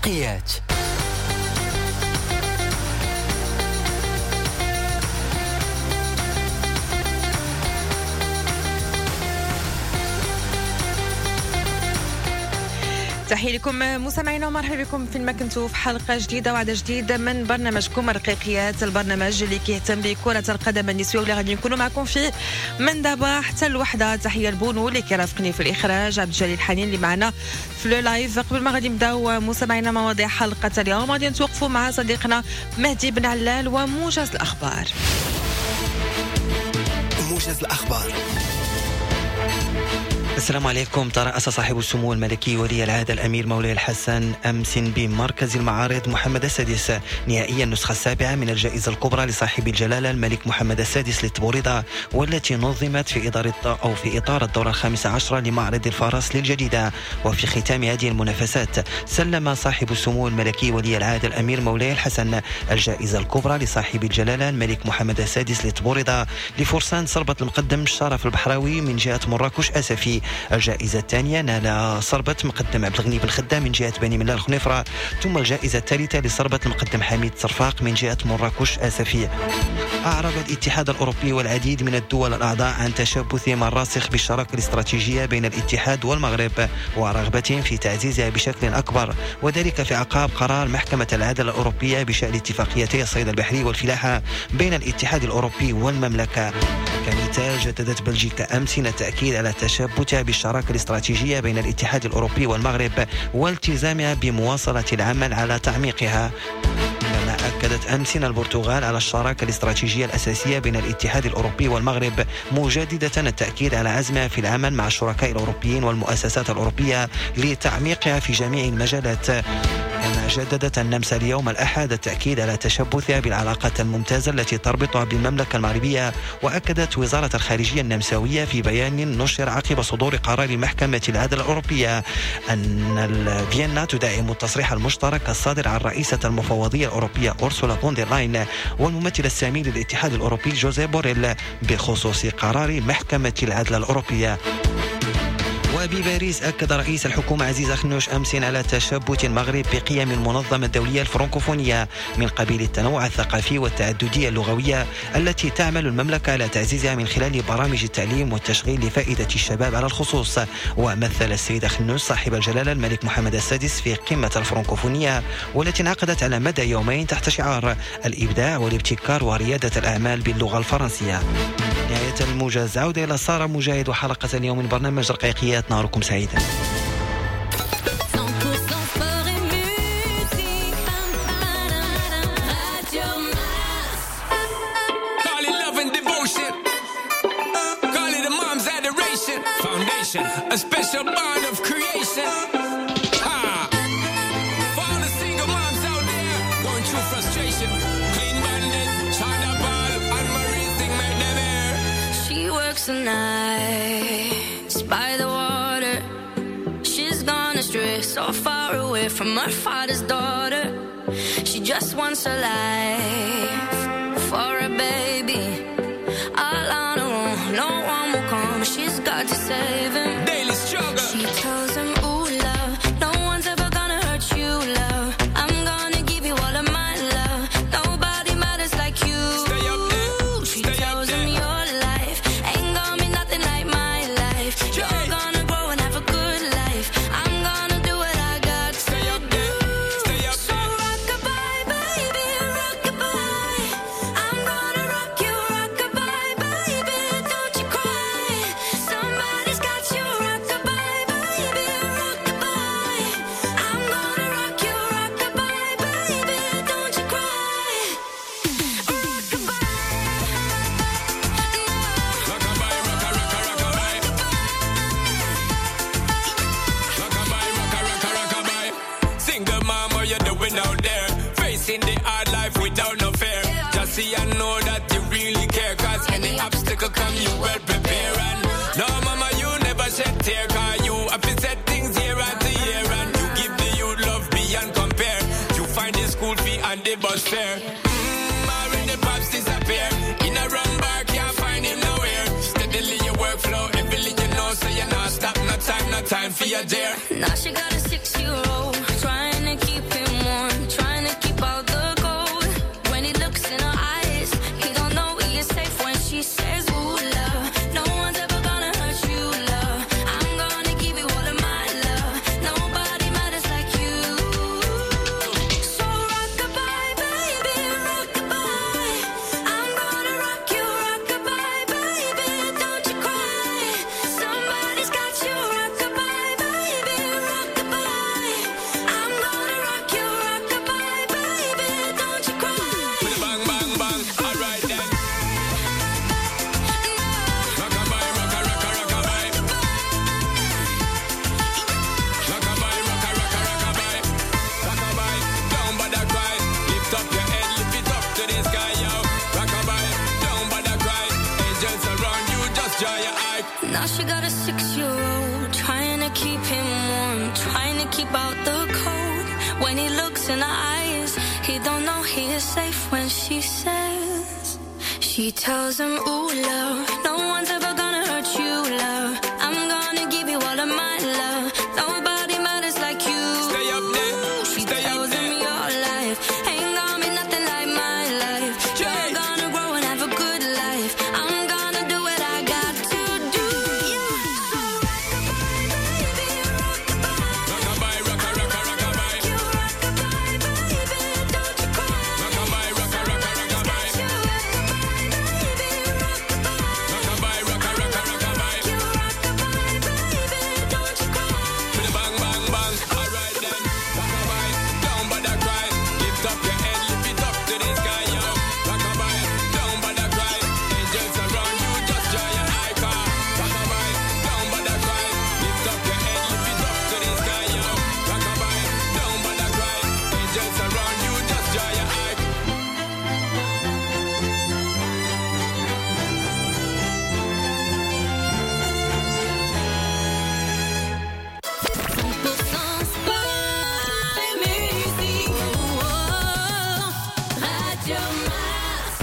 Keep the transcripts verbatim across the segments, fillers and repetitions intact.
رقيقيات. تحية لكم مستمعينا ومرحبا بكم فيما كنتوا في حلقة جديدة وعدد جديد من برنامجكم رقيقيات، البرنامج اللي كيهتم بكرة القدم النسوية واللي غادي نكونوا معكم فيه من دابا حتى الوحدة. تحية لبونو اللي كيرافقني في الإخراج، عبد الجليل حنين اللي معنا في le live. قبل ما غادي نبداو مستمعينا مواضيع حلقة اليوم، غادي نتوقفوا مع صديقنا مهدي بن علال وموجز الأخبار. موجز الأخبار. السلام عليكم. ترأس صاحب السمو الملكي ولي العهد الأمير مولاي الحسن أمس بمركز المعارض محمد السادس نهائيا النسخة السابعة من الجائزة الكبرى لصاحب الجلالة الملك محمد السادس للتبوريدة، والتي نظمت في إطار أو في إطار الدورة الخامسة عشرة لمعرض الفرس للجديدة. وفي ختام هذه المنافسات سلم صاحب السمو الملكي ولي العهد الأمير مولاي الحسن الجائزة الكبرى لصاحب الجلالة الملك محمد السادس للتبوريدة لفرسان صربة المقدم الشرف البحراوي من جهة مراكش أسفي. الجائزة الثانية نال صربة مقدم عبد الغني بن خدام من جهة بني ملال الخنيفرة، ثم الجائزة الثالثة لصربة المقدم حميد صرفاق من جهة مراكش آسفي. أعرب الاتحاد الأوروبي والعديد من الدول الأعضاء عن تشبثهم الراسخ بالشراكة الاستراتيجية بين الاتحاد والمغرب ورغبتهم في تعزيزها بشكل أكبر، وذلك في أعقاب قرار محكمة العدل الأوروبية بشأن اتفاقيتي الصيد البحري والفلاحة بين الاتحاد الأوروبي والمملكة. كمثال، جددت بلجيكا أمس التأكيد على تشبثها بالشراكة الاستراتيجية بين الاتحاد الأوروبي والمغرب والتزامها بمواصلة العمل على تعميقها. كما أكدت أمس البرتغال على الشراكة الاستراتيجية الأساسية بين الاتحاد الأوروبي والمغرب، مجددة التأكيد على عزمها في العمل مع الشركاء الأوروبيين والمؤسسات الأوروبية لتعميقها في جميع المجالات. كما جددت النمسا اليوم الأحد التأكيد على تشبثها بالعلاقات الممتازة التي تربطها بالمملكة المغربية. وأكدت وزارة الخارجية النمساوية في بيان نشر عقب صدور قرار محكمة العدل الأوروبية أن فيينا تدعم التصريح المشترك الصادر عن رئيسة المفوضية الأوروبية أورسولا فون دير لاين والممثل السامي للاتحاد الأوروبي جوزيف بوريل بخصوص قرار محكمة العدل الأوروبية. وبباريس أكد رئيس الحكومة عزيز أخنوش أمس على تشبث المغرب بقيم المنظمة الدولية الفرنكوفونية من قبيل التنوع الثقافي والتعددية اللغوية التي تعمل المملكة على تعزيزها من خلال برامج التعليم والتشغيل لفائدة الشباب على الخصوص. ومثل السيد أخنوش صاحب الجلالة الملك محمد السادس في قمة الفرنكوفونية والتي انعقدت على مدى يومين تحت شعار الإبداع والابتكار وريادة الأعمال باللغة الفرنسية. نهاية الموجز، عودة إلى سارة مجاهد وحلقة اليوم من برنامج رقيقيات. نهاركم سعيدا. A special bond of creation. Ha! For all the single moms out there going through frustration. Clean bandit, China Ball, and Marie thing make them air. She works the nights by the water. She's gone astray, so far away from her father's daughter. She just wants a life for a baby. All on her own, no one will come. She's got to save him. Daily struggle. She tells him, ooh, love, no one's ever gonna hurt you, love. I'm gonna give you all of my love. Nobody matters like you. Stay up there. She Stay tells up him there. your life ain't gonna be nothing like my life. You're gonna grow and have a good life. I'm gonna do what I got Stay to up there. do. Stay up So there. rock-a-bye, baby, rock-a-bye. I'm gonna rock you, rock-a-bye, baby. Don't you cry. Somebody's got you, rock-a-bye, baby, rock-a-bye. I'm gonna rock you, rock-a-bye, baby. Don't you cry. Rock-a-bye. Rock-a-bye, rocka, rocka, rock-a-bye. Rock-a-bye, rocka, rocka, rock-a-bye. Single mom, what you doing out there? Facing the hard life without no fear. Just see and know that you really care. Cause any obstacle come, you well prepare. And no, mama, you never shed tear. Cause you have to set things year after year. And you give the youth love beyond compare. You find the school fee and the bus fare. Mm, already pops disappear. In a run bar, can't find him nowhere. Steadily your workflow, everything you know, so you're not stop. No time, no time for your dear. Now she got a six-year-old, trying to keep keep out the cold. When he looks in her eyes, he don't know he is safe when she says. She tells him, ooh, love, no one's ever gonna hurt you, love. I'm gonna give you all of my love. Nobody matters like you. Stay up there. She Stay up tells him there. your life ain't gonna be nothing like my life. Jay. You're gonna grow and have a good life. I'm gonna do what I got to do. So rock-a-bye, baby, rock-a-bye. Rock-a-bye, rocka, rocka, rock-a-bye. You rock-a-bye, baby, don't you cry. Rock-a-bye, rocka, rocka, rock-a-bye. You rock-a-bye, baby, rock-a-bye. Rock-a-bye, rocka, rocka, rock-a-bye. You rock-a-bye, baby, don't you cry. To the bang, bang, bang. Alright then. Rock-a-bye, don't bother cry. Lift up your head, lift it up to the sky, yo. Rock-a-bye, don't bother cry. Angels around you, just dry your eye, car. Rock-a-bye, don't bother cry. Lift up your head, lift it up to the sky, yo. Rock-a-bye, don't bother cry. Angels around you, just dry your eye. cent pour cent sport et musique. Oh, oh, Radio Mars.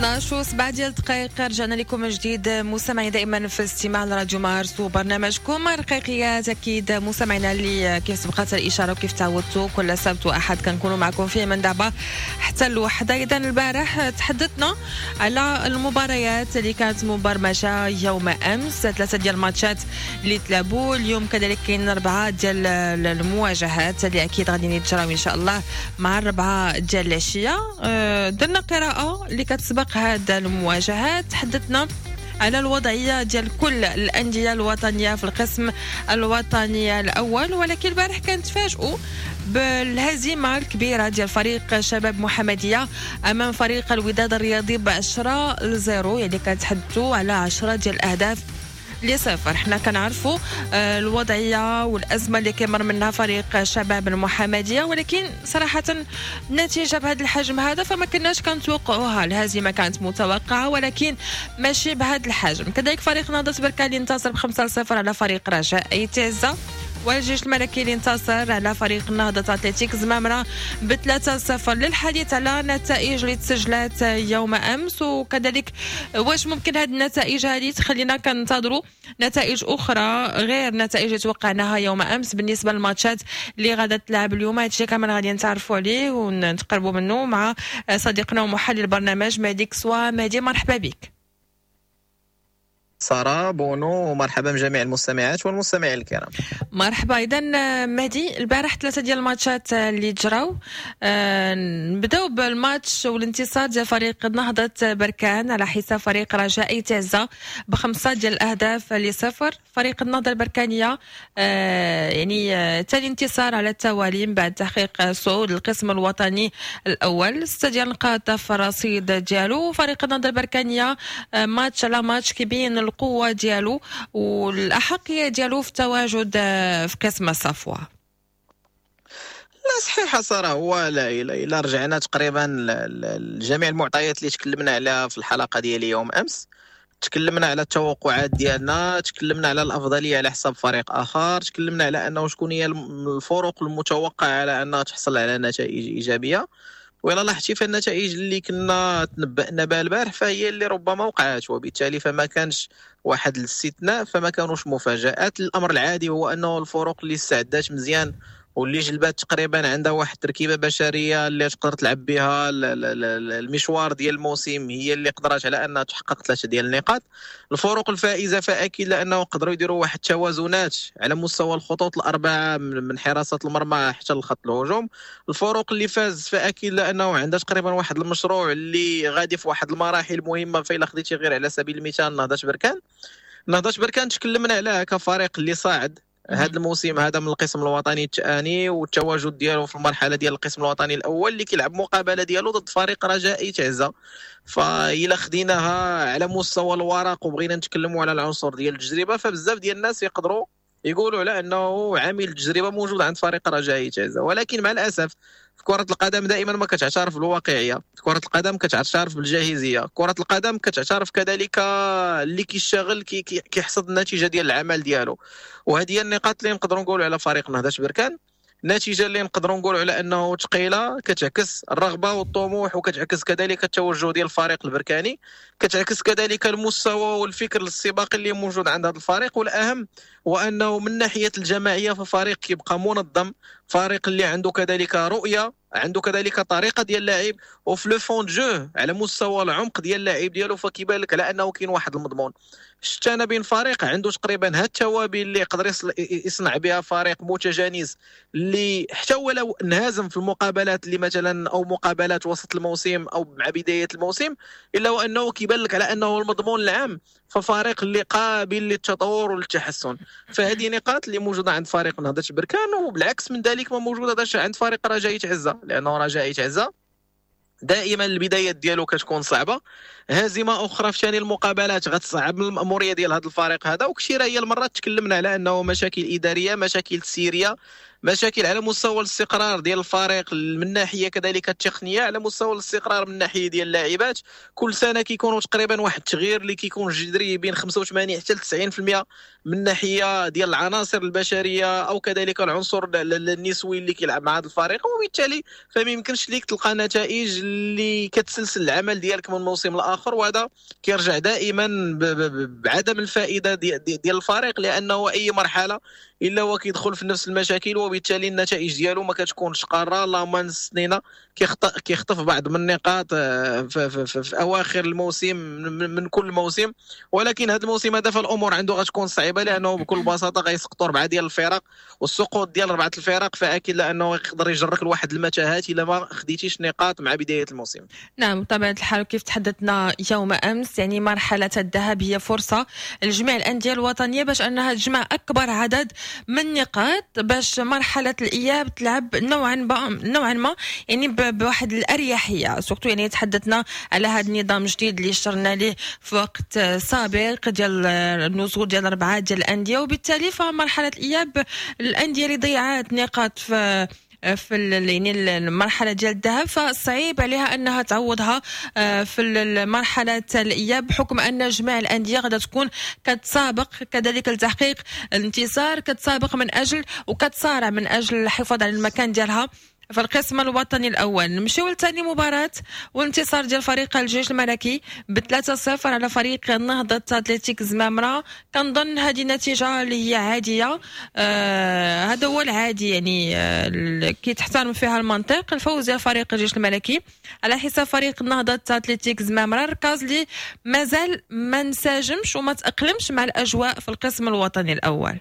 اثنا عشر وسبعة ديال الدقائق، رجعنا لكم من جديد مستمعي دائما في استماع لراديو مارس وبرنامجكم رقيقيات. اكيد مستمعينا اللي كيف سبقت الاشارة وكيف تعودتوا كل سبت واحد كنكونوا معكم فيه من دابا حتى الوحدة. اذا البارح تحدثنا على المباريات اللي كانت مبرمجه يوم امس، ثلاثة ديال الماتشات اللي تلعبوا. اليوم كذلك كاين اربعة ديال المواجهات اللي اكيد غادي يتجراو ان شاء الله مع الربعه ديال العشية. آه، درنا قراءة اللي كتسبق هاد المواجهات، تحدثنا على الوضعية ديال كل الاندية الوطنية في القسم الوطني الاول، ولكن البارح كنتفاجئوا بالهزيمة الكبيرة ديال فريق شباب محمديه امام فريق الوداد الرياضي ب عشرة لصفر، يعني كنتحدثوا على عشرة ديال الاهداف لصفر. حنا كنعرفوا آه، الوضعية والازمة اللي كيمر منها فريق شباب المحمدية، ولكن صراحة النتيجة بهذا الحجم هذا فما كناش كنتوقعوها. الهزيمة كانت متوقعه ولكن ماشي بهذا الحجم. كذلك فريق نهضة بركان اللي انتصر بخمسة لصفر على فريق رجاء آيت عزة، والجيش الملكي اللي انتصر على فريق نهضة أتلتيك زمامرة بثلاثة صفر. للحديث على النتائج اللي تسجلات يوم أمس، وكذلك واش ممكن هذه النتائج هذه تخلينا كننتظروا نتائج أخرى غير نتائج اللي توقعناها يوم أمس بالنسبة للماتشات اللي غادا تلعب اليوم. هادشي كامل غادي نتعرفوا عليه ونتقربوا منه مع صديقنا ومحلل البرنامج مهدي كسوا. مهدي مرحبا بك. سارة بونو، ومرحبا بجميع المستمعات والمستمعين الكرام. مرحبا. اذا مهدي، البارح ثلاثة ديال الماتشات اللي جراو. آه، نبداو بالماتش والانتصار ديال فريق نهضة بركان على حساب فريق رجاء آيت عزة بخمسة ديال الاهداف لصفر. فريق النهضة البركانيه آه، يعني ثاني انتصار على التوالي من بعد تحقيق صعود القسم الوطني الاول، ستة ديال النقاط في الرصيد ديالو. فريق النهضة البركانيه آه، ماتش على ماتش كيبين القوة ديالو والاحقيه ديالو في التواجد في قسم الصفوة. لا صحيحه ساره، هو لا الا رجعنا تقريبا لجميع المعطيات اللي تكلمنا عليها في الحلقة ديال يوم امس، تكلمنا على التوقعات ديالنا، تكلمنا على الافضلية على حساب فريق اخر، تكلمنا على انه شكون هي الفرق المتوقعة على انها تحصل على نتائج ايجابية. وإلا لاحظتي فالنتائج اللي كنا تنبأنا بها البارح فهي اللي ربما وقعت، وبالتالي فما كانش واحد الاستثناء، فما كانوش مفاجآت. الامر العادي هو انه الفرق اللي استعدات مزيان واللي جلبات تقريبا عندها واحد التركيبة بشرية اللي تقدر تلعب بها المشوار ديال الموسم هي اللي قدرت على انها تحقق ثلاثة ديال النقاط. الفرق الفائزه فاكيد لانه قدروا يديروا واحد التوازنات على مستوى الخطوط الاربعة من حراسة المرمى حتى لخط الهجوم. الفرق اللي فاز فاكيد لانه عندها تقريبا واحد المشروع اللي غادي في واحد المراحل مهمة. فإلا خديتي غير على سبيل المثال نهضة بركان، نهضة بركان تكلمنا عليها كفريق اللي صاعد هذا الموسم هذا من القسم الوطني الثاني، والتواجد ديالو في المرحلة ديال القسم الوطني الاول اللي كيلعب مقابله ديالو ضد فريق رجاء آيت عزة. فإلا خديناها على مستوى الورق وبغينا نتكلموا على العنصر ديال التجربة، فبزاف ديال الناس يقدروا يقولوا على انه عامل التجربة موجود عند فريق رجاء آيت عزة، ولكن مع الاسف في كره القدم دائما ما كتعترف بالواقعيه، في كره القدم كتعترف بالجاهزيه، كره القدم كتعترف كذلك اللي كيشتغل كي كيحصد النتيجة ديال العمل ديالو. وهذه هي النقاط اللي نقدروا نقولوا على فريق نهضة بركان. النتيجة اللي نقدروا نقولوا على انه ثقيلة كتعكس الرغبة والطموح، وكتعكس كذلك التوجه ديال الفريق البركاني، كتعكس كذلك المستوى والفكر السباقي اللي موجود عند هذا الفريق. والاهم هو انه من ناحية الجماعية ففريق كيبقى منظم، فريق اللي عنده كذلك رؤية، عنده كذلك طريقه ديال اللعب، وفي le fond de jeu على مستوى العمق ديال اللاعب ديالو فكيبان لك على انه كاين واحد المضمون. شتانا بين فريق عنده تقريبا هاد التوابل اللي يقدر يصنع بها فريق متجانس، اللي حتى ولو انهزم في المقابلات اللي مثلا او مقابلات وسط الموسم او مع بداية الموسم، الا وانه كيبان لك على انه المضمون العام ففريق اللي قابل للتطور والتحسن. فهذه نقاط اللي موجودة عند فريق نهضة بركان، وبالعكس من ذلك ما موجودة عند فريق رجاء عزه، لانه رجاء عزه دائما البدايات ديالو كتكون صعبة، هزيمة اخرى في ثاني المقابلات غتصعب من الماموريه ديال هذا الفريق هذا. وكثيره هي المرات تكلمنا على انه مشاكل ادارية، مشاكل تسييريه، مشاكل على مستوى الاستقرار ديال الفريق من ناحية كذلك التقنية، على مستوى الاستقرار من ناحية ديال اللاعبات. كل سنة كيكونوا تقريبا واحد التغيير اللي كيكون جذري بين خمسة وثمانين حتى تسعين بالمئة من ناحية ديال العناصر البشرية او كذلك العنصر النسوي اللي كيلعب مع هذا الفريق، وبالتالي فما يمكنش ليك تلقى نتائج اللي كتسلسل العمل ديالك من موسم لاخر، وهذا كيرجع دائما بعدم الفائدة ديال الفريق، لانه اي مرحلة الا هو كيدخل في نفس المشاكل، وبالتالي النتائج ديالو ما كتكونش قاره. اللهم نستنينا كيخطف بعض من النقاط في, في, في, في اواخر الموسم من كل موسم، ولكن هذا الموسم هذا فالامور عنده غتكون صعيبة، لانه بكل بساطة غيسقطوا اربعة ديال الفرق، والسقوط ديال اربعة الفرق فاكيد لانه يقدر يجرك لواحد المتاهات الا ما خديتيش نقاط مع بداية الموسم. نعم بطبيعة الحال، كيف تحدثنا يوم امس يعني مرحلة الذهاب هي فرصة لجميع الاندية الوطنية باش انها تجمع اكبر عدد من النقاط باش مرحلة الاياب تلعب نوعا ما نوعا ما يعني بواحد الاريحيه، surtout يعني تحدثنا على هذا النظام الجديد اللي اشترنا ليه في وقت سابق ديال النزول ديال اربعة ديال الاندية، وبالتالي فمرحله الاياب الاندية اللي ضيعت نقاط في في يعني المرحلة ديال الذهاب فصعيب عليها انها تعوضها في المرحلة الاياب، بحكم ان جميع الاندية غادا تكون كتسابق كذلك لتحقيق الانتصار، كتسابق من اجل وكتصارع من اجل الحفاظ على المكان ديالها في القسم الوطني الاول. نمشيو لثاني مباراة والانتصار ديال فريق الجيش الملكي ب ثلاثة صفر على فريق نهضة اتلتيك زمامرة. كنظن هذه النتيجة اللي هي عادية، آه هذا هو العادي يعني آه كي تحترم فيها المنطق. الفوز ديال فريق الجيش الملكي على حساب فريق نهضة اتلتيك زمامرة، الركاز اللي مازال ما انسجمش وما تاقلمش مع الاجواء في القسم الوطني الاول.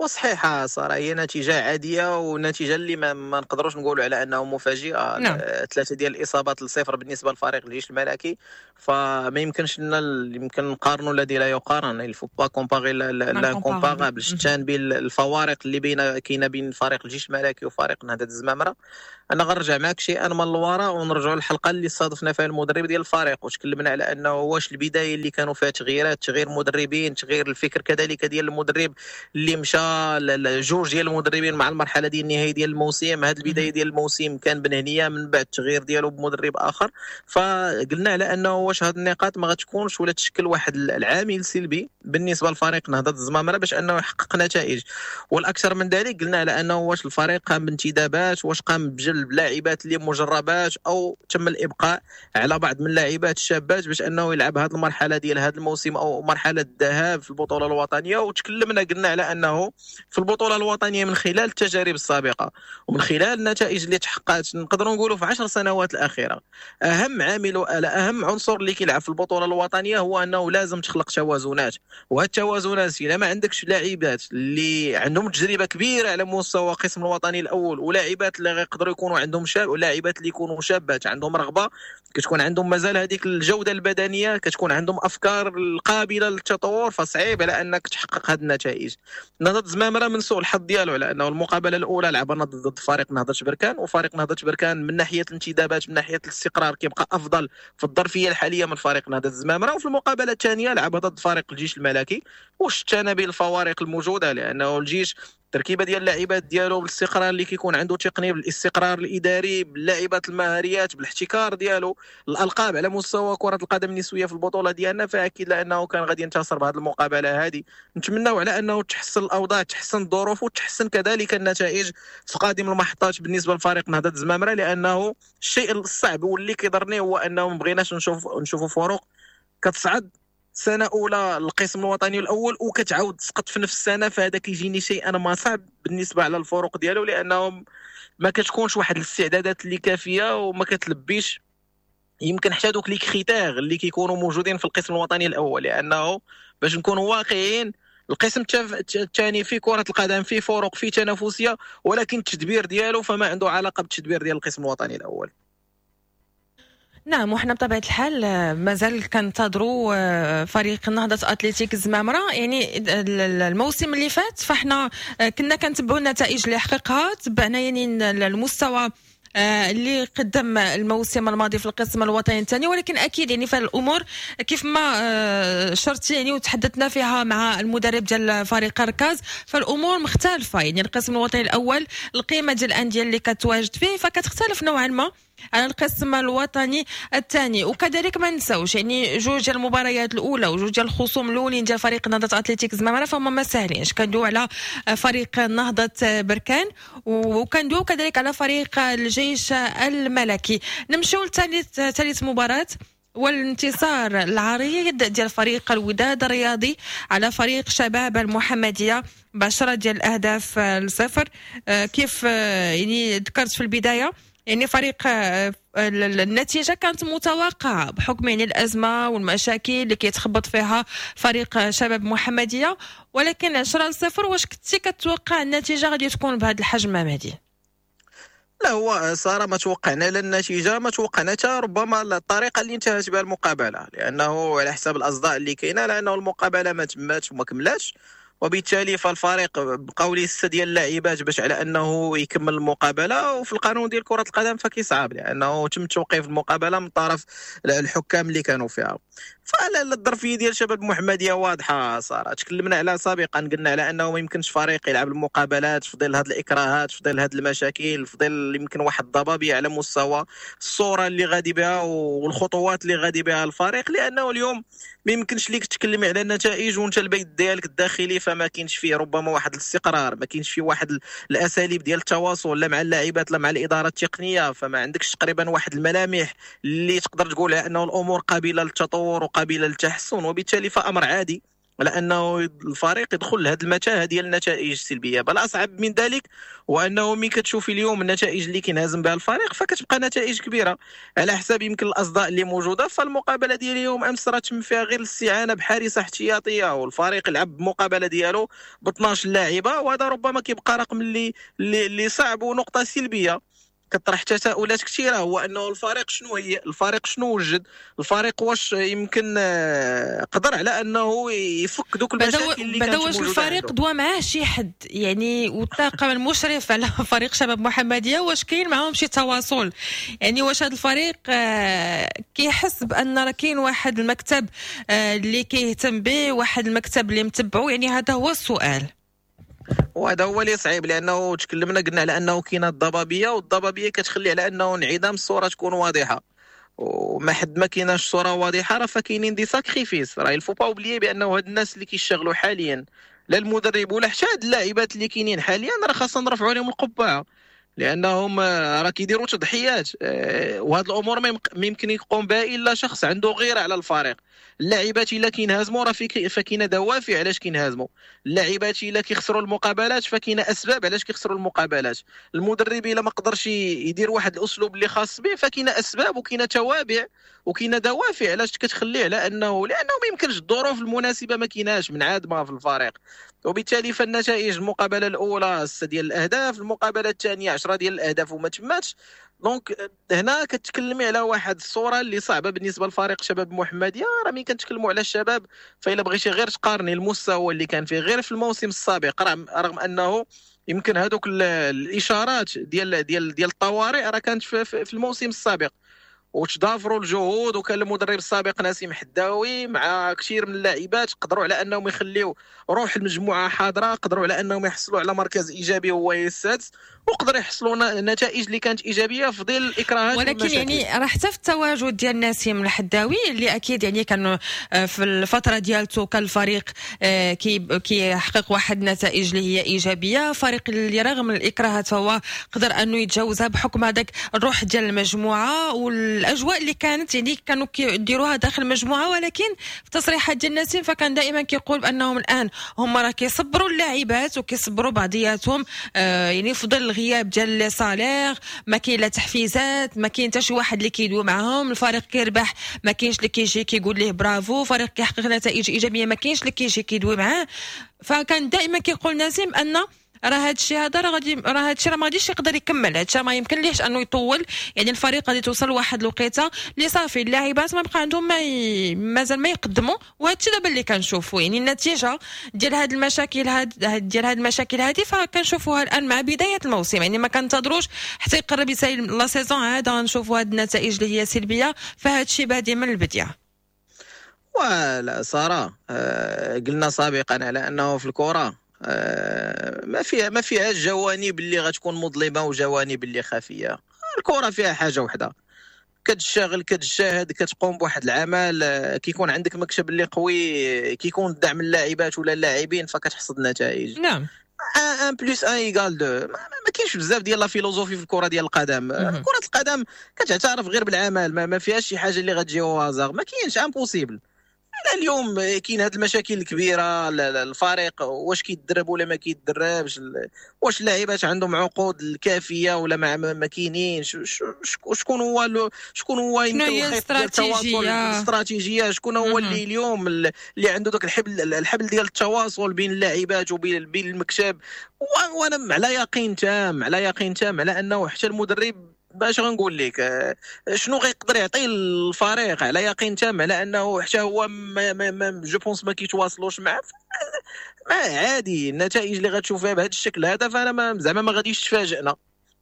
وصحيحه صراحة هي نتيجة عادية ونتيجة اللي ما, ما نقدروش نقولوا على انه مفاجئة. نعم. ثلاثة ديال الاصابات لصفر بالنسبة لفريق الجيش الملكي، فما يمكنش لنا يمكن نقارنوا الذي لا يقارن، il faut pas comparer l'incomparable. شتان بين الفوارق اللي بين كاينه بين فريق الجيش الملكي وفريق نهضة الزمامره. انا غنرجع معك شيئا من الوراء ونرجعوا للحلقة اللي صادفنا فيها المدرب ديال الفريق، وتكلمنا على انه واش البداية اللي كانوا فيها تغييرات، تغيير مدربين، تغيير الفكر كذلك ديال المدرب اللي مشى جوج ديال المدربين مع المرحلة ديال النهاية ديال الموسم. هذه البداية ديال الموسم كان بنهنيه، من بعد التغيير ديالو بمدرب اخر. فقلنا على انه واش هذه النقاط ما غتكونش ولا تشكل واحد العامل سلبي بالنسبة لفريق نهضة الزمامره باش انه يحقق نتائج. والاكثر من ذلك قلنا على انه واش الفريق قام بانتدابات، واش قام بجلب لاعبات اللي مجربات او تم الابقاء على بعض من اللاعبات الشابات باش انه يلعب هذه المرحلة ديال هذا الموسم او مرحلة الذهاب في البطولة الوطنية. وتكلمنا قلنا على انه في البطولة الوطنية من خلال التجارب السابقة ومن خلال النتائج اللي تحققت نقدروا نقولوا في عشر سنوات الاخيرة، اهم عامل اهم عنصر اللي كيلعب في البطولة الوطنية هو انه لازم تخلق توازنات، وهاد التوازنات الا ما عندكش لاعبات اللي عندهم تجربه كبيرة على مستوى القسم الوطني الاول، ولاعبات اللي غيقدروا يكونوا عندهم شاب، ولاعبات اللي يكونوا شابات عندهم رغبة، كتكون عندهم مازال هذيك الجودة البدنية، كتكون عندهم افكار القابلة للتطور، فصعيب على انك تحقق هذه النتائج. نهضة زمامرة من سوء الحظ ديالو على انه المقابلة الاولى لعبنا ضد فريق نهضة بركان، وفريق نهضة بركان من ناحية الانتدابات من ناحية الاستقرار كيبقى افضل في الظرفية الحالية من فريق نهضة زمامرة. وفي المقابلة الثانية لعبها ضد فريق الجيش الملكي، وشتنا بالفوارق الموجودة، لانه الجيش التركيبة ديال اللاعبات ديالو، بالاستقرار اللي كيكون عنده تقني، بالاستقرار الاداري، باللاعبات المهاريات، بالاحتكار ديالو الالقاب على مستوى كره القدم النسوية في البطولة ديالنا، فاكيد لانه كان غادي ينتصر بهذه المقابلة هذه. نتمناو على انه تحسن الاوضاع، تحسن الظروف، وتحسن كذلك النتائج في قادم المحطات بالنسبة لفريق نهضة الزمامره، لانه الشيء الصعب واللي كيضرني هو انه ما بغيناش نشوف نشوفوا فروق كتصعد سنة اولى القسم الوطني الاول وكتعاود تسقط في نفس السنة، فهذا كيجيني شيء انا ما صعب بالنسبة على الفروق ديالو، لانهم ما كتكونش واحد الاستعدادات اللي كافيه وما كتلبيش يمكن حتى دوك les critères اللي كيكونوا موجودين في القسم الوطني الاول. لانه باش نكونوا واقعيين، القسم الثاني في كره القدم فيه فروق، فيه تنافسية، ولكن التدبير ديالو فما عنده علاقة بالتدبير ديال القسم الوطني الاول. نعم، وحنا بطبيعة الحال آه، مازال كنتظروا آه، فريق نهضة اتلتيك الزمامره. يعني الموسم اللي فات فاحنا آه، كنا كنتبعوا النتائج اللي حققها، تبعنا يعني المستوى اللي قدم الموسم الماضي في القسم الوطني الثاني، ولكن اكيد يعني فالامور كيف ما شرتي يعني وتحدثنا فيها مع المدرب ديال فريق ركاز، فالامور مختلفه. يعني القسم الوطني الاول، القيمة ديال الاندية اللي كتواجد فيه فكتختلف نوعا ما على القسم الوطني الثاني. وكذلك ما نساوش يعني جوج ديال المباريات الاولى وجوج ديال الخصوم الاولين ديال فريق نهضة اتلتيك زمامرة فهم ما ساهلينش. كندويو على فريق نهضة بركان وكندويو كذلك على فريق الجيش الملكي. نمشيو لثالث ثالث مباراة والانتصار العريض ديال فريق الوداد الرياضي على فريق شباب المحمدية بعشرة ديال الاهداف لصفر. آه، كيف آه، يعني ذكرت في البدايه، يعني فريق آه، النتيجة كانت متوقعه بحكم يعني الازمة والمشاكل اللي كيتخبط فيها فريق شباب محمديه، ولكن عشرة لصفر، واش كنتي كتوقع النتيجة غادي تكون بهذا الحجم مهدي؟ لا، هو ساره ما توقعنا لا النتيجه، ما توقعنا حتى ربما الطريقة اللي انتهت بها المقابله، لانه على حساب الاصداء اللي كاينه لانه المقابلة ما تماتش وما كملاتش، وبالتالي فالفريق بقاو ليه ستة ديال اللاعبات باش على انه يكمل المقابله، وفي القانون ديال كره القدم فكيصعب لانه تم توقيف المقابلة من طرف الحكام اللي كانوا فيها. فالظرفيه ديال شباب المحمدية واضحة ساره، تكلمنا عليها سابقا، قلنا على انه ما يمكنش فريق يلعب المقابلات في ظل هذه الاكراهات، في ظل هذه المشاكل، في ظل يمكن واحد الضبابيه على مستوى الصورة اللي غادي بها والخطوات اللي غادي بها الفريق، لانه اليوم ما يمكنش ليك تكلمي على النتائج وانت البيت ديالك الداخلي فما كاينش فيه ربما واحد الاستقرار، ما كاينش فيه واحد الاساليب ديال التواصل لا مع اللاعبات لا مع الادارة التقنيه، فما عندكش تقريبا واحد الملامح اللي تقدر تقول انه الامور قابله للتطور وقابله للتحسن، وبالتالي فامر عادي لانه الفريق يدخل لهذه المتاهة ديال النتائج السلبيه. بل اصعب من ذلك هو انه ملي كتشوفي اليوم النتائج اللي كينهزم بها الفريق فكتبقى نتائج كبيرة على حساب يمكن الاصداء اللي موجودة. فالمقابله ديال اليوم امس راه تم فيها غير الاستعانة بحارسه احتياطيه، والفريق لعب بمقابله ديالو ب اثنا عشر لاعبه، وهذا ربما كيبقى رقم اللي اللي صعب ونقطة سلبية كطرح تساؤلات كثيره، هو انه الفريق شنو هي الفريق شنو وجد الفريق، واش يمكن آه، قدر على انه يفك دوك المشاكل اللي كانت واش الفريق دوا معاه شي حد يعني والطاقم المشرف على فريق شباب محمديه، واش كاين معاهم شي تواصل؟ يعني واش هذا الفريق آه، كيحس بان راه كاين واحد المكتب آه، اللي كيهتم به، واحد المكتب اللي متبعو؟ يعني هذا هو السؤال. وهذا هو اللي صعيب، لانه تكلمنا قلنا على انه كاينه الضبابيه، والضبابيه كتخلي على انه انعدام الصورة تكون واضحه، وما حد ما كايناش صوره واضحة راه فكاينين des sacrifices. راه il faut pas oublier بانه هاد الناس اللي كيشتغلوا حاليا، لا المدرب ولا حتى هاد اللاعبات اللي كاينين حاليا، راه خاصنا نرفعوا لهم القبعة لانهم راه كيديروا تضحيات، آه، وهاد الامور ما يمكن يقوم بها الا شخص عنده غيره على الفريق. اللاعبات الا كينهزموا راه فكاينه دوافع علاش كينهزموا، اللاعبات الا كيخسروا المقابلات فكاينه اسباب علاش كيخسروا المقابلات، المدرب الا ما قدرش يدير واحد الاسلوب اللي خاص به فكاينه اسباب وكاينه توابع وكاينه دوافع علاش كتخليه على انه لانه ما يمكنش الظروف المناسبة ما كايناش منعدمة في الفريق. وبالتالي فالنتائج، المقابلة الاولى ستة ديال الاهداف، المقابلة الثانية عشرة ديال الاهداف وما تماتش. donc هنا كتكلمي على واحد الصورة اللي صعبة بالنسبة لفريق شباب محمديه. راه ملي كنتكلموا على الشباب فإلا بغيتي غير تقارني المستوى اللي كان فيه غير في الموسم السابق، رغم انه يمكن هذوك الاشارات ديال ديال ديال الطوارئ راه كانت في, في الموسم السابق. وتضافروا الجهود، وكان المدرب السابق نسيم حداوي مع كثير من اللاعبات قدروا على انهم يخليو روح المجموعة حاضره، قدروا على انهم يحصلوا على مركز ايجابي هو السادس، وقدروا يحصلوا نتائج اللي كانت ايجابية في ظل الاكراهات. ولكن يعني راه حتى في التواجد ديال نسيم الحداوي اللي اكيد يعني كان في الفترة ديالته كان الفريق كيحقق واحد النتائج اللي هي ايجابية، فريق اللي رغم الاكراهات فهو قدر انه يتجاوزها بحكم هذاك الروح ديال المجموعة والاجواء اللي كانت يعني كانوا كيديروها داخل المجموعة. ولكن في تصريحات ديال نسيم فكان دائما كيقول بانهم الان هما راه كيصبروا اللاعبات وكيصبروا بعضياتهم، آه يعني في ظل الغياب ديال les salaires، ما كاين لا تحفيزات، ما كاين حتى شي واحد اللي كيدوي معاهم، الفريق كيربح ما كاينش اللي كيجي كيقول ليه برافو، فريق كيحقق نتائج ايجابية ما كاينش اللي كيجي كيدوي معاه. فكان دائما كيقول نسيم ان راه هذا الشيء هذا راه غادي راه هذا الشيء راه ما غاديش يقدر يكمل، هذا الشيء ما يمكن ليش انه يطول، يعني الفريق غادي توصل لواحد الوقيته اللي صافي اللاعبات ما بقى عندهم ما ي... مازال ما يقدموا. وهذا الشيء دابا اللي كنشوفوا يعني النتيجة ديال هاد المشاكل هاد ديال هاد المشاكل هذه فكنشوفوها الان مع بداية الموسم، يعني ما كنتظروش حتى يقرب يسالي la saison عاد غنشوفوا هاد النتائج اللي هي سلبية، فهذا الشيء بادي من البداية. ولا ساره آه قلنا سابقا على انه في الكره آه ما فيها ما فيها جوانب اللي غتكون مظلمة وجوانب اللي خفيه. الكره فيها حاجة وحده، كتشتغل كتجاهد كتقوم بواحد العمل، كيكون عندك مكتب اللي قوي، كيكون دعم اللاعبات ولا اللاعبين، فكتحصد نتائج. نعم، واحد plus واحد égale اثنين. ما, ما كاينش بزاف ديال la philosophie في الكره ديال القدم. كره القدم كتعترف غير بالعمل، ما, ما فيهاش شي حاجة اللي غتجي au hasard، ما كاينش، impossible. اليوم كاين هاد المشاكل الكبيرة، الفريق واش كيتدرب ولا ما كيتدربش، واش اللاعبات عندهم عقود الكافيه ولا ما ما كاينينش، شكون هو شكون هو يمكن الخيط ديال التواصل الاستراتيجية، شكون هو اللي اليوم اللي عنده داك الحبل الحبل ديال التواصل بين اللاعبات وبين بين المكتب. وانا على يقين تام على يقين تام على انه حتى المدرب باش غنقول لك شنو غيقدر يعطي الفريق، على يقين تام على انه حتى هو ما ما je pense ما كيتواصلوش معاه. ما عادي النتائج اللي غتشوفها بهذا الشكل هذا، فانا ما زعما ما غاديش تفاجئنا.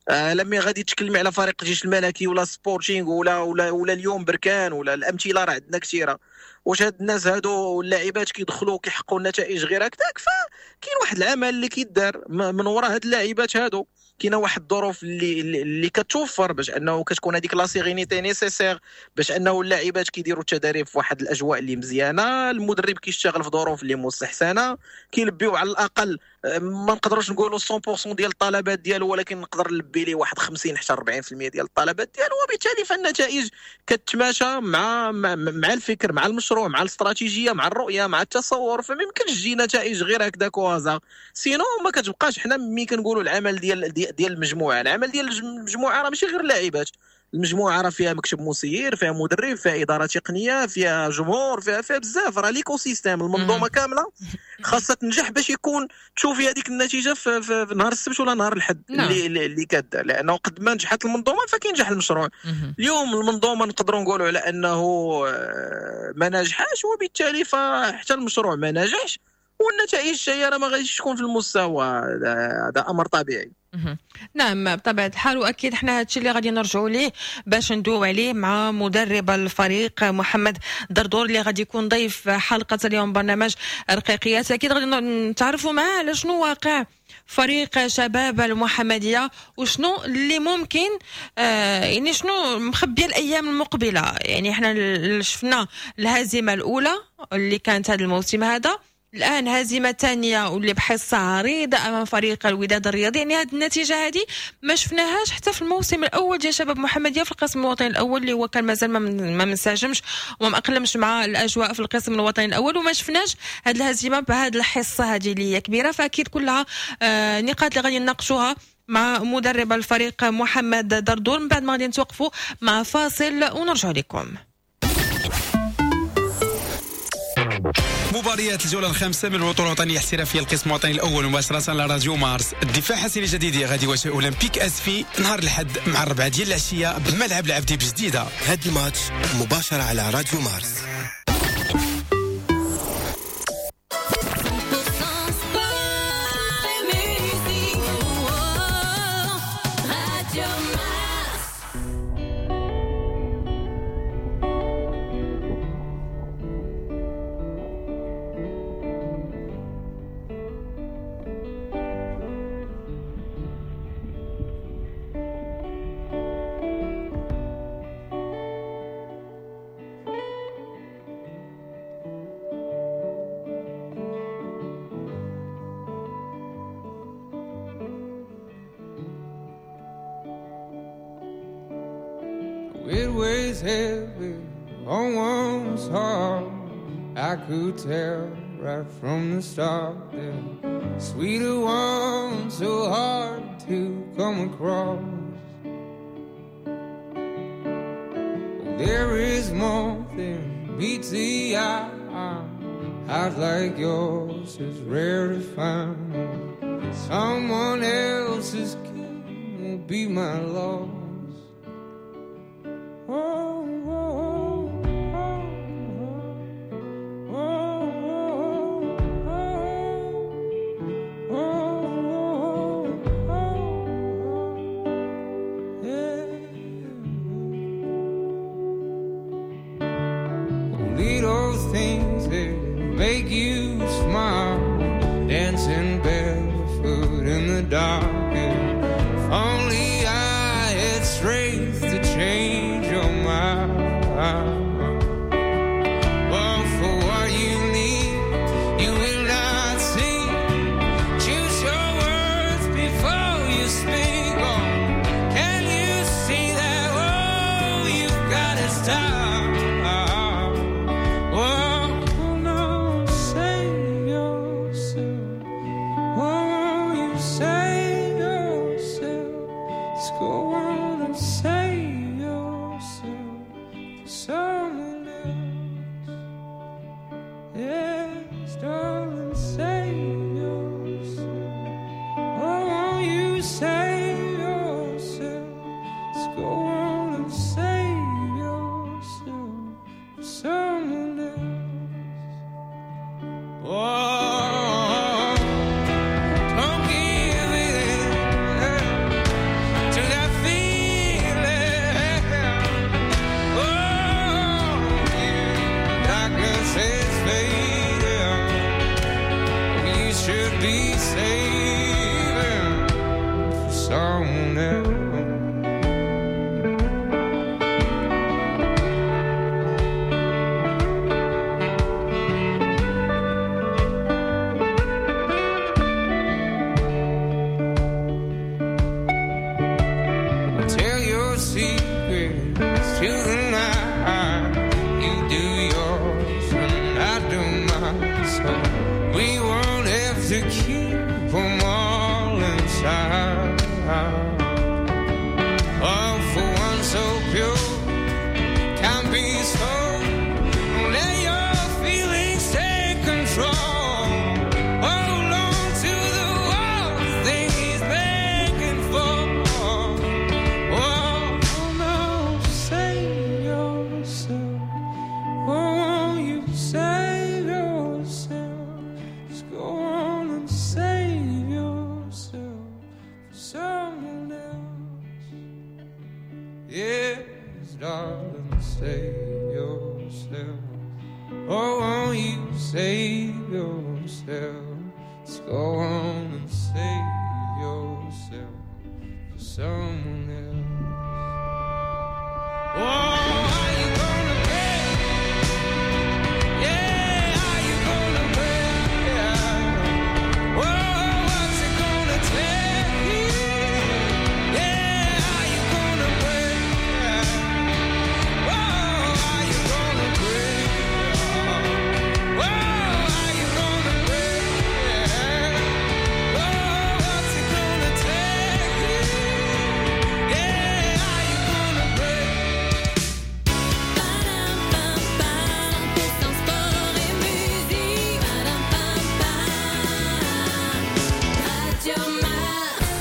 آه لما غادي تكلمي على فريق الجيش الملكي ولا سبورتينغ ولا ولا ولا اليوم بركان ولا الامثلة راه عندنا كثيرة. واش هاد الناس هادو اللاعبات كيدخلوا كيحققوا النتائج غير هكذاك؟ فكاين واحد العمل اللي كيدار من وراء هاد اللاعبات هادو، كاينه واحد الظروف اللي اللي كتوفر باش انه كتكون هذيك la sérénité nécessaire باش انه اللاعبات كيديروا التدريب في واحد الاجواء اللي مزيانه، المدرب كيشتغل في ظروف اللي مستحسنه، كيلبيو على الاقل ما نقدروش نقولوا مية بالمية ديال الطلبات ديالو، ولكن نقدر نلبي ليه واحد خمسين حتى أربعين بالمية ديال الطلبات ديالو، وبالتالي فالنتائج كتماشى مع مع الفكر مع المشروع مع الاستراتيجية مع الرؤية مع التصور. فما يمكنش تجي نتائج غير هكذاك au hasard، sinon ما كتبقاش. حنا ملي كنقولوا العمل ديال ديال المجموعة، العمل ديال المجموعة راه ماشي غير اللاعبات، المجموعة راه فيها مكتب مسير، فيها مدرب، فيها ادارة تقنية، فيها جمهور، فيها فيها بزاف، راه l'écosystème المنظومة كاملة خاصها تنجح باش يكون تشوفي هذيك النتيجة في, في, في نهار السبت ولا نهار الاحد اللي اللي كدار، لانه قد ما نجحت المنظومة فكينجح المشروع. اليوم المنظومة نقدروا نقولوا على انه ما نجحاش، وبالتالي فحتى المشروع ما نجحش، والنتائج هي راه ما غاديش تكون في المستوى، هذا امر طبيعي. نعم بطبيعة الحال، وأكيد حنا هادشي اللي غادي نرجعوا ليه باش ندويو عليه مع مدرب الفريق محمد دردور اللي غادي يكون ضيف حلقة اليوم برنامج رقيقيات. أكيد غادي نتعرفوا معاه على شنو واقع فريق شباب المحمدية وشنو اللي ممكن آه يعني شنو مخبيه الأيام المقبلة. يعني حنا شفنا الهزيمة الأولى اللي كانت هذا الموسم هذا، الآن هزيمة ثانية واللي بحصة عريضة أمام فريق الوداد الرياضي. يعني هذه النتيجة هذه ما شفناهاش حتى في الموسم الأول ديال شباب محمدية في القسم الوطني الأول اللي هو كان مازال ما منسجمش وما مأقلمش مع الأجواء في القسم الوطني الأول، وما شفناش هذه الهزيمة بهذه الحصة هذه اللي هي كبيرة. فأكيد كلها آه نقاط اللي غادي نناقشوها مع مدرب الفريق محمد دردور. من بعد ما غادي نتوقفوا مع فاصل ونرجع لكم. مباريات الجولة الخامسة من البطولة الوطنية الاحترافية القسم الوطني الأول مباشرة على راديو مارس. الدفاع حسين الجديدي غادي يواجه أولمبيك أسفي نهار الأحد مع الربعة ديال العشية بملعب العبدي بجديدة. هاد الماتش مباشرة على راديو مارس. It weighs heavy on one's heart. I could tell right from the start that sweeter one so hard to come across. There is more than meets the eye. Heart like yours is rare to find. Someone else's gain will be my loss. Oh, oh, oh, oh, oh, oh, oh, oh, yeah. Little things that make you smile, dancing barefoot in the dark. If only I had strength to change your mind. But for what you need, you will not see. Choose your words before you speak. Oh, can you see that? Oh, you've got to stop. Oh, no, save yourself. Oh, you save yourself. Let's go on and save yourself for someone else. Yes, darling, save yourself. Oh, you save yourself. Let's go on and save yourself for someone else. Oh, don't give in to that feeling. Oh, darkness is fading. You should be saving for someone else. Tell your secrets to the night. You do yours and I do mine. So we won't have to keep them all inside. Oh, for one so pure can be so. Let your feelings take control. Hold on to the one thing he's begging for. Oh, no, save yourself. Oh, you save yourself. Just go on and save yourself for someone else. Yes, darling, save yourself. Oh, won't you save yourself? Let's go on and save yourself for someone else. Oh, are you gonna pay? Yeah, are you gonna pay? Oh, what's it gonna take? Yeah, are you gonna pay? Oh, are you gonna pay? Oh, are you gonna pay? Oh, what's it gonna take? Yeah, are you gonna pay? Radio Mars.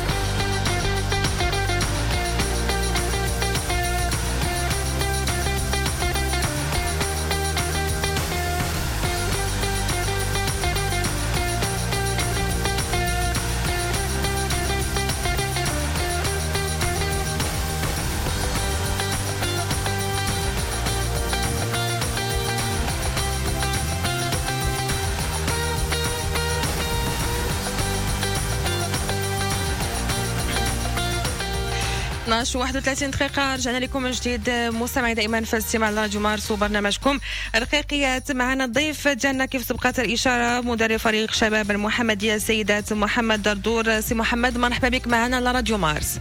اثنا عشر وواحد وثلاثين دقيقة، رجعنا لكم من جديد مستمعي دائما في الاستماع لراديو مارس وبرنامجكم رقيقيات. معنا الضيف ديالنا كيف سبقت الإشارة مدرب فريق شباب المحمدية السيدات محمد دردور. سي محمد، مرحبا بك معنا على راديو مارس.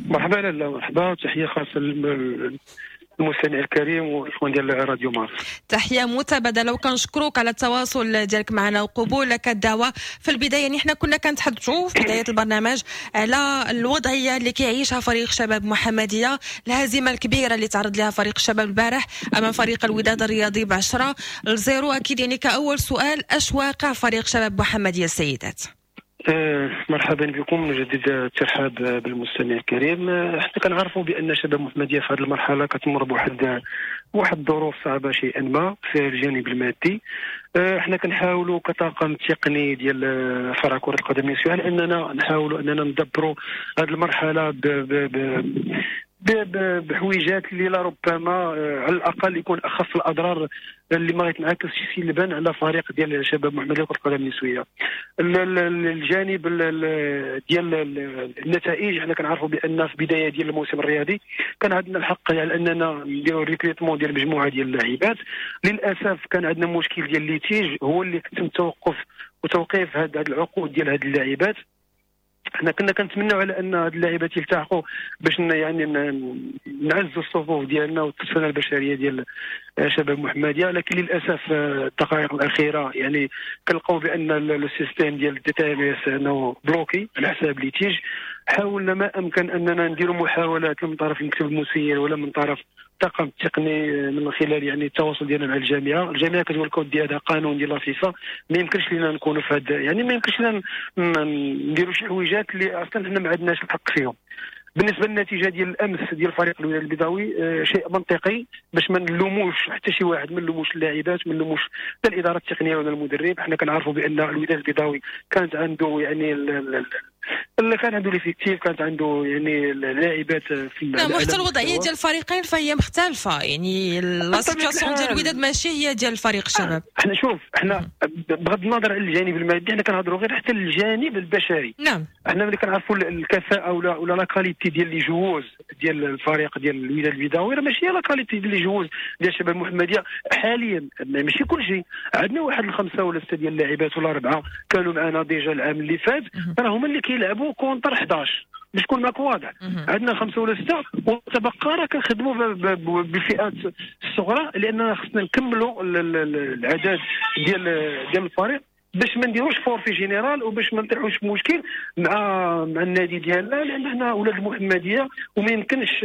مرحبا لاله، مرحبا، تحية خاصة للمستمع الكريم والاخوان ديال راديو مارس. تحية متبادلة وكنشكروك على التواصل ديالك معنا وقبولك الدعوة. في البداية يعني حنا كنا كنتحدثوا في بداية البرنامج على الوضعية اللي كيعيشها فريق شباب محمديه، الهزيمة الكبيرة اللي تعرض لها فريق الشباب البارح امام فريق الوداد الرياضي ب عشرة لصفر. اكيد يعني كاول سؤال، اش واقع فريق شباب محمديه السيدات؟ أه مرحبا بكم، نجدد الترحاب بالمستمع الكريم. حنا كنعرفوا بان شباب محمديه في هذه المرحلة كتمر بواحد واحد الظروف صعبة شيئا ما في الجانب المادي. حنا كنحاولوا كطاقم تقني ديال فرع كره القدم النسوية على اننا نحاولوا اننا ندبروا هذه المرحلة ب ب ب بحويجات اللي لربما على الاقل يكون اخف الاضرار اللي ما يتنعكسش سلبا على فريق ديال شباب محمديه كره القدم النسوية. الجانب ديال النتائج، حنا كنعرفوا بان في بداية ديال الموسم الرياضي كان عندنا الحق على اننا نديروا recrutement ديال مجموعة ديال اللاعبات. للاسف كان عندنا مشكل ديال litige هو اللي تم توقف وتوقيف هاد العقود ديال هاد اللاعبات. حنا كنا كنتمناو على ان هاد اللاعبات يلتحقوا باش يعني نعزوا الصفوف ديالنا والترسانه البشرية ديال شباب محمديه، لكن للاسف الدقائق الاخيرة يعني كنلقاو بان le système ديال ال DTMS انه bloqué على حساب litige. حاولنا ما امكن اننا نديروا محاولات من طرف المكتب المسير ولا من طرف الطاقم التقني من خلال يعني التواصل ديالنا مع الجامعة. الجامعة كتقول لك اودي هذا قانون ديال la FIFA، ما يمكنش لنا نكونوا في هذا، يعني ما يمكنش لنا نديروا شي حويجات اللي اصلا حنا ما عندناش الحق فيهم. بالنسبة للنتيجة ديال الامس ديال فريق الوداد البيضاوي، آه شيء منطقي باش ما نلوموش حتى شي واحد، ما نلوموش اللاعبات، ما نلوموش لا الادارة التقنية ولا المدرب. حنا كنعرفوا بان الوداد البيضاوي كانت عنده يعني اللي كان عنده l'effectif، كانت عنده يعني اللاعبات في نعم، وحتى الوضعية ديال الفريقين فهي مختلفة، يعني la situation ديال الوداد ماشي هي ديال الفريق الشباب. احنا شوف، احنا بغض النظر عن الجانب المادي حنا كنهضروا غير حتى الجانب البشري. نعم، احنا ملي كنعرفوا الكفاءة ولا ولا la qualité ديال les joueuses ديال الفريق ديال الوداد البيضاوي راه ماشي هي la qualité ديال les joueuses ديال الشباب المحمدية حاليا. ماشي كل شيء، عندنا واحد الخمسة ولا ستة ديال اللاعبات ولا اربعة كانوا معنا déjà العام اللي فات، راه هما اللي كيلعبوا contre حداش باش تكون معك واضح. عندنا خمسة ولا ستة وتبقى راه كنخدموا بالفئات الصغرى لاننا خصنا نكملوا العدد ديال ديال الفريق باش ما نديروش forfait général وباش ما نطيحوش في مشكل مع مع النادي ديالنا، لان حنا اولاد المحمدية وما يمكنش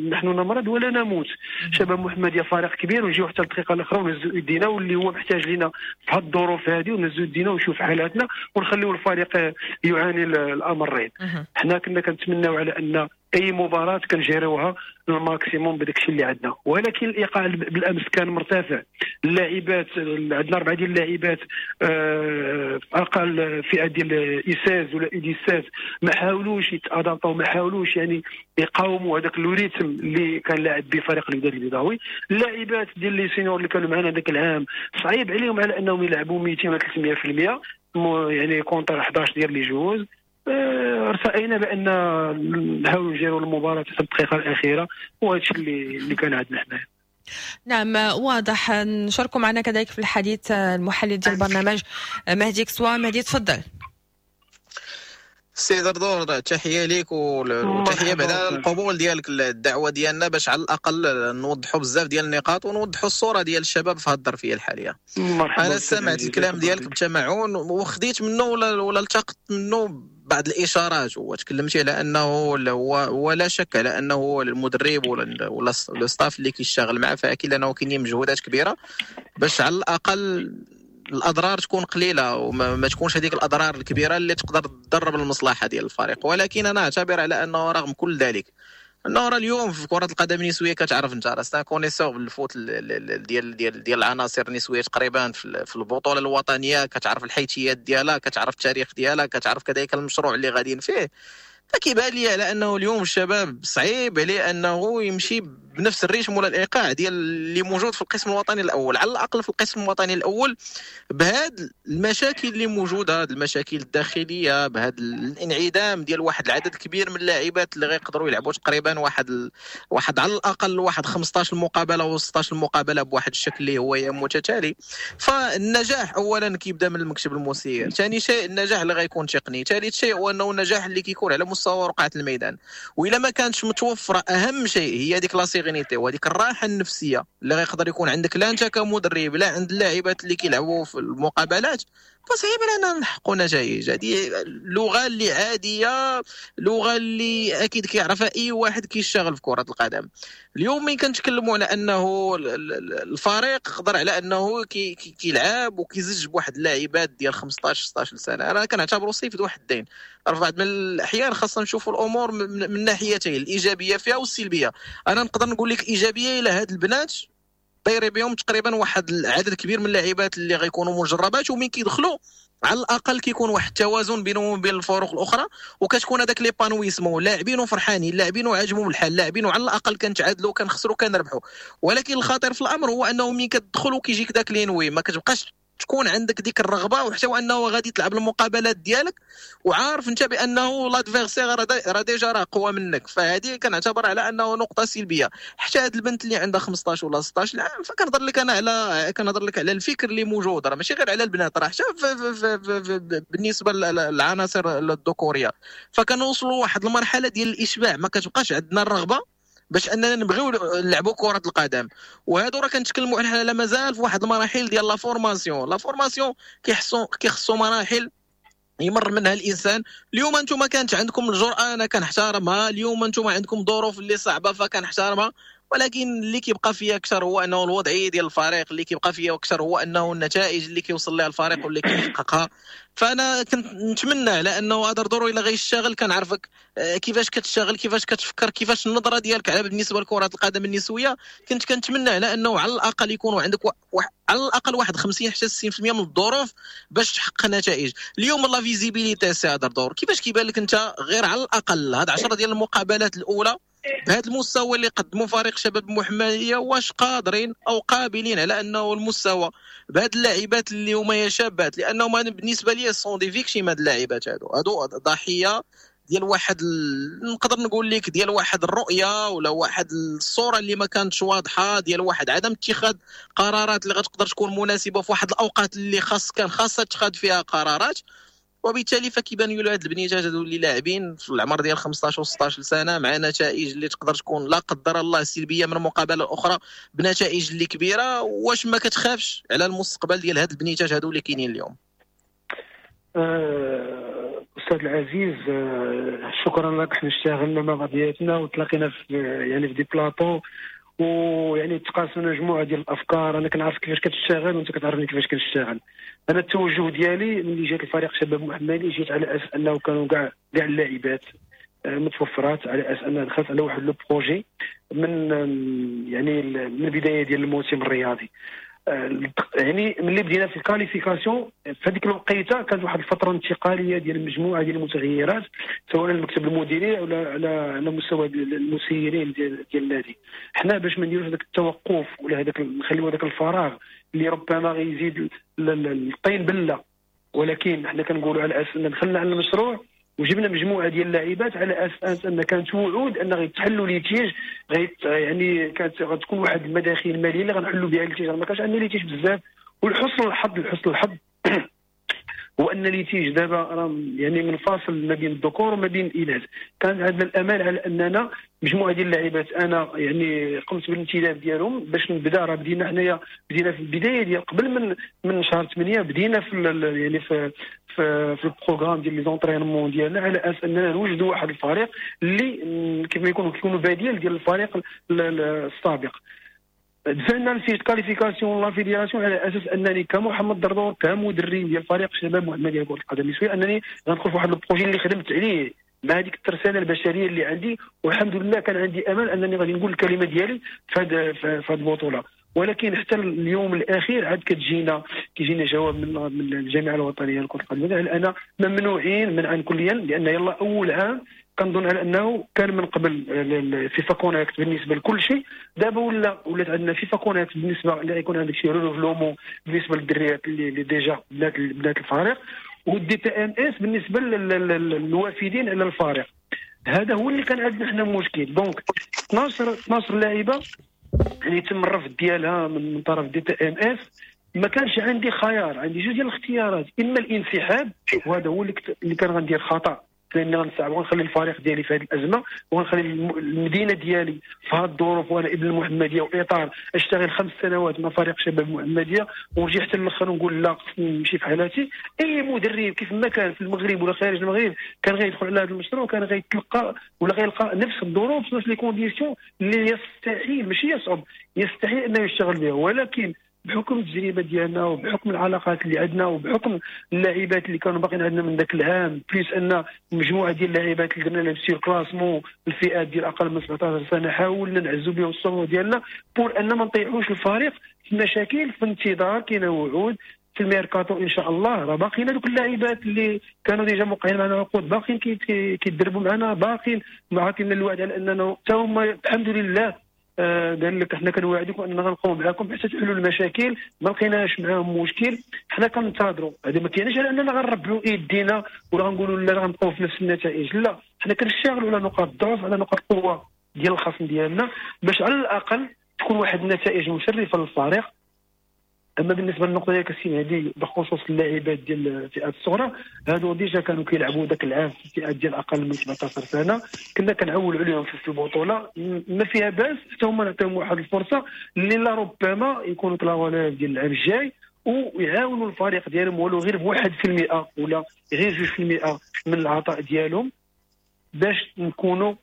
نحن نمرض ولا نموت. شباب محمديه فريق كبير ونجيو حتى الدقيقة الاخرى ونهزوا يدينا، واللي هو محتاج لنا في هذه الظروف هذه، ونهزوا يدينا ونشوف حالاتنا ونخليو الفريق يعاني الامرين. حنا كنا كنتمناو على ان اي مباراة كنجيروها ال maximum بداك الشيء اللي عندنا، ولكن الايقاع بالامس كان مرتفع. اللاعبات عندنا اربعة ديال اللاعبات آه، اقل فئة ديال U seize ولا U dix-sept ما حاولوش يتادابطوا، ما حاولوش يعني يقاوموا هذاك le rythme اللي كان لاعب به فريق الوداد البيضاوي. اللاعبات ديال les seniors اللي كانوا معنا ذاك العام صعيب عليهم على انهم يلعبوا مئتين ولا ثلاثمية في المية يعني contre حداش ديال les joueuses. آه، ارتأينا بان نحاولوا نجيروا المباراة في الدقيقة الاخيرة، وهذا الشيء اللي اللي كان عندنا حنايا. نعم واضح. نشاركوا معنا كذلك في الحديث المحلل ديال البرنامج مهدي كسوا. مهدي تفضل. سي دردور، تحية ليك وتحية بعدا القبول ديالك الدعوة ديالنا باش على الاقل نوضحوا بزاف ديال النقاط ونوضحوا الصورة ديال الشباب في هذه الظرفية الحالية. مرحبا. انا سمعت الكلام ديالك بتمعن وخديت منه ولا ولا التقطت منه بعض الاشارات، وتكلمتي على انه هو ولا شك على انه المدرب ولا ولا le staff اللي كيشتغل معاه، فاكيد انه كاينين مجهودات كبيرة باش على الاقل الاضرار تكون قليله وما ما تكونش هذيك الاضرار الكبيرة اللي تقدر تضر بالمصلحة ديال الفريق. ولكن انا اعتبر على انه رغم كل ذلك انه راه اليوم في كره القدم النسوية كتعرف انت راه c'est un connaisseur بال foot ديال ديال ديال العناصر النسوية تقريبا في البطولة الوطنيه، كتعرف الحيثيات ديالها، كتعرف التاريخ ديالها، كتعرف كذلك المشروع اللي غاديين فيه. فكيبان لي على انه اليوم الشباب صعيب عليه انه يمشي بنفس ال rythme ولا الايقاع ديال اللي موجود في القسم الوطني الاول. على الاقل في القسم الوطني الاول بهاد المشاكل اللي موجودة، هاد المشاكل الداخلية، بهذا الانعدام ديال واحد العدد كبير من اللاعبات اللي غيقدروا يلعبوا تقريبا واحد ال... واحد على الاقل واحد خمسطاش مقابله و ستطاش مقابله بواحد الشكل اللي هو متتالي. فالنجاح اولا كيبدا من المكتب المسير، ثاني شيء النجاح اللي غيكون تقني، ثالث شيء هو انه النجاح اللي كيكون على مستوى رقعه الميدان. والا ما كانتش متوفرة اهم شيء هي ديك la sérénité وهذيك الراحة النفسية اللي غيقدر يكون عندك لا انت كمدرب لا عند اللاعبات اللي كيلعبوا في المقابلات، فصعيب لنا نحققوا نتائج. هذه لغة اللي عادية، لغة اللي اكيد كيعرفها اي واحد كيشتغل في كره القدم. اليوم ملي كنتكلموا على انه الفريق قدر على انه كي كيلعب وكيزج بواحد اللاعبات ديال خمسطاش ستطاش سنة، انا كنعتبره سيف ذو حدين. في بعض من الاحيان خاصنا نشوفوا الامور من ناحيتين، الايجابية فيها والسلبيه. انا نقدر نقول لك ايجابية الى هاد البنات دايرين بهم تقريبا واحد العدد كبير من اللاعبات اللي غيكونوا مجربات، ومن كيدخلوا على الاقل كيكون واحد التوازن بينهم وبين الفرق الاخرى، وكتكون هذاك l'épanouissement، لاعبين وفرحانين، لاعبين وعاجبهم الحال، لاعبين وعلى الاقل كنتعادلوا كنخسروا كنربحوا. ولكن الخطير في الامر هو انه ملي كتدخل وكيجيك داك l'ennui، ما كتبقاش تكون عندك ديك الرغبة، وحتى وانه غادي تلعب المقابلات ديالك وعارف انت بانه l'adversaire راه déjà راه قوى منك. فهذه كنعتبر على انه نقطة سلبية. حتى هاد البنت اللي عندها خمسطاش ولا ستطاش عام، فكنهضر لك انا على كنهضر لك على الفكر اللي موجود، راه ماشي غير على البنات، راه حتى بالنسبة للعناصر الذكورية. فكنوصلوا واحد المرحلة ديال الاشباع، ما كتبقاش عندنا الرغبة باش اننا نبغيو نلعبوا كره القدم. وهادو راه كنتكلموا حنا لا مازال في واحد المراحل ديال la formation. la formation كيحسوا كيخصوا مراحل يمر منها الانسان. اليوم انتم كانت عندكم الجرأة، انا كنحترمها. اليوم انتم عندكم ظروف اللي صعبة فكنحترمها. ولكن اللي كيبقى فيا اكثر هو انه الوضعية ديال الفريق، اللي كيبقى فيا اكثر هو انه النتائج اللي كيوصل لها الفريق واللي كيحققها. فانا كنت نتمنى على انه هذا دورو الا غيشتغل، كنعرفك كيفاش كتشتغل، كيفاش كتفكر، كيفاش النظرة ديالك على بالنسبة لكرة القدم النسوية. كنت كنتمنى على انه على الاقل يكونوا عندك و... على الاقل واحد خمسين حتى ستين بالمية من الظروف باش تحقق نتائج. اليوم la visibilité سي هذا دور كيفاش كيبان لك انت غير على الاقل هاد عشرة ديال المقابلات الاولى بهذا المستوى اللي قدموا فريق شباب المحمدية، واش قادرين او قابلين على انه المستوى بهاد اللاعبات اللي هما شابات؟ لانهم انا بالنسبة لي sont des victimes هاد اللاعبات هادو، هادو ضحية ديال واحد ال... نقدر نقول لك ديال واحد الرؤية ولا واحد الصورة اللي ما كانتش واضحة، ديال واحد عدم اتخاذ قرارات اللي غتقدر تكون مناسبة في واحد الاوقات اللي خاص كان خاصها اتخاذ فيها قرارات. وبالتالي فكيبانوا له هاد البنيتات هادو اللي لاعبين في العمر ديال خمسطاش و ستطاش سنة مع نتائج اللي تقدر تكون لا قدر الله سلبية من مقابله اخرى بنتائج اللي كبيرة. واش ما كتخافش على المستقبل ديال هاد البنيتات هادو اللي كاينين اليوم؟ استاذ العزيز شكرا لك. حنا اشتغلنا مع بعضياتنا وتلاقينا في يعني في des plateaux، ويعني تقاسمنا مجموعة ديال الافكار. انا كنعرف كيفاش كتشتغل وانت كتعرفني كيفاش كنشتغل. انا التوجه ديالي ملي جات الفريق شباب محمدي جيت على اساس انه كانوا كاع كاع اللاعبات متوفرات، على اساس ان دخلت على واحد le projet من يعني من البداية ديال الموسم الرياضي. يعني ملي بدينا في ال qualification في هذيك الوقيته كانت واحد الفترة انتقالية ديال مجموعة ديال المتغيرات، سواء المكتب المديري ولا على على مستوى المسيرين ديال ديال النادي. حنا باش ما نديروش هذاك التوقف ولا هذاك نخليو هذاك الفراغ اللي ربما غيزيد الطين بله، ولكن حنا كنقولوا على اساس ان دخلنا على المشروع وجبنا مجموعة ديال اللاعبات على اساس ان كانت وعود ان غيتحلوا litiges، غيت يعني كانت غتكون واحد المداخيل المالية اللي غنحلوا بها litiges. ما كانش عندنا litiges بزاف، والحسن الحظ الحسن الحظ هو ان litiges دابا راه يعني منفصل ما بين الذكور وما بين الاناث. كان عندنا الامال على اننا مجموعة ديال اللاعبات انا يعني قمت بالانتداب ديالهم باش نبدا. راه بدينا حنايا بدينا في البداية ديال قبل من من شهر ثمانية بدينا في يعني في في, في ال programme ديال les entraînements ديالنا على اساس اننا نوجدوا واحد الفريق اللي كيف ما يكون كيكونوا بديل ديال الفريق السابق. دفعنا ال fiche qualification la fédération على اساس انني كمحمد دردور كمدرب ديال فريق شباب محمديه كره القدم النسوية انني غندخل في واحد ال projet اللي خدمت عليه مع هذيك الترسانه البشرية اللي عندي، والحمد لله كان عندي امل انني غادي نقول الكلمة ديالي في هذه في هذه البطولة. ولكن حتى اليوم الاخير عاد كتجينا كيجينا جواب من من الجامعة الوطنية لكرة القدم على انا ممنوعين منعا كليا، لان يلا اول عام كنظن على انه كان من قبل FIFA Connect بالنسبة لكل شيء، دابا ولا ولات عندنا FIFA Connect بالنسبة اللي غيكون عندك شي renouvellement بالنسبة للدريات اللي, اللي déjà بنات بنات الفريق، وال DTMS بالنسبة للوافدين على الفريق. هذا هو اللي كان عندنا حنا مشكل. donc اثنا عشر اثنا عشر لاعبه اللي تم الرفض ديالها من طرف DTMS، ما كانش عندي خيار، عندي جوج ديال الاختيارات، اما الانسحاب، وهذا هو اللي, اللي كان غندير خطا، لان غنصعب وغنخلي الفريق ديالي في هذه الازمة وغنخلي المدينة ديالي في هذه الظروف، وانا ابن المحمدية واطار اشتغل خمس سنوات مع فريق شباب المحمدية ونجي حتى الاخر ونقول لا، خصني نمشي في حالاتي. اي مدرب كيف ما كان في المغرب ولا خارج المغرب كان غيدخل على هذا المشروع كان غيتلقى ولا غيلقى نفس الظروف، نفس les conditions اللي يستحيل، ماشي يصعب، يستحيل انه يشتغل بها. ولكن بحكم التجربة ديالنا وبحكم العلاقات اللي عندنا وبحكم اللاعبات اللي كانوا باقيين عندنا من ذاك العام، plus ان مجموعة ديال اللاعبات اللي درنا لهم surclassement، الفئات ديال اقل من سبعطاش سنه، حاولنا نعزو بهم الصفوف ديالنا pour ان ما نطيحوش الفريق في مشاكل. في انتظار كاينه وعود في الميركاتو ان شاء الله، راه باقيين هذوك اللاعبات اللي كانوا déjà موقعين معنا عقود، باقيين كيدربوا معنا، باقيين عاطينا الوعد على اننا حتى هما الحمد لله آه، قال لك احنا كنوعدكم اننا غنبقاو معاكم حتى تحلوا المشاكل. ما لقيناش معاهم مشكل، حنا كننتظروا. هذا ما كاينش على اننا غنربعوا ايدينا ولا غنقولوا لا، غنبقاو في نفس النتائج. لا، حنا كنشتغلوا على نقاط الضعف، على نقاط القوة ديال الخصم ديالنا، باش على الاقل تكون واحد النتائج مشرفة للفريق. اما بالنسبة للنقطة ديالك السي مهدي بخصوص اللاعبات ديال الفئات الصغرى، هادو déjà كانوا كيلعبوا ذاك العام في الفئات ديال اقل من سبعطاش سنه، كنا كنعولوا عليهم في البطوله. ما فيها باس حتى هما نعطيهم واحد الفرصة اللي لربما يكونوا la relève ديال العام الجاي ويعاونوا الفريق ديالهم ولو غير بواحد في المئة ولا غير جوج في المئة من العطاء ديالهم، باش نكونوا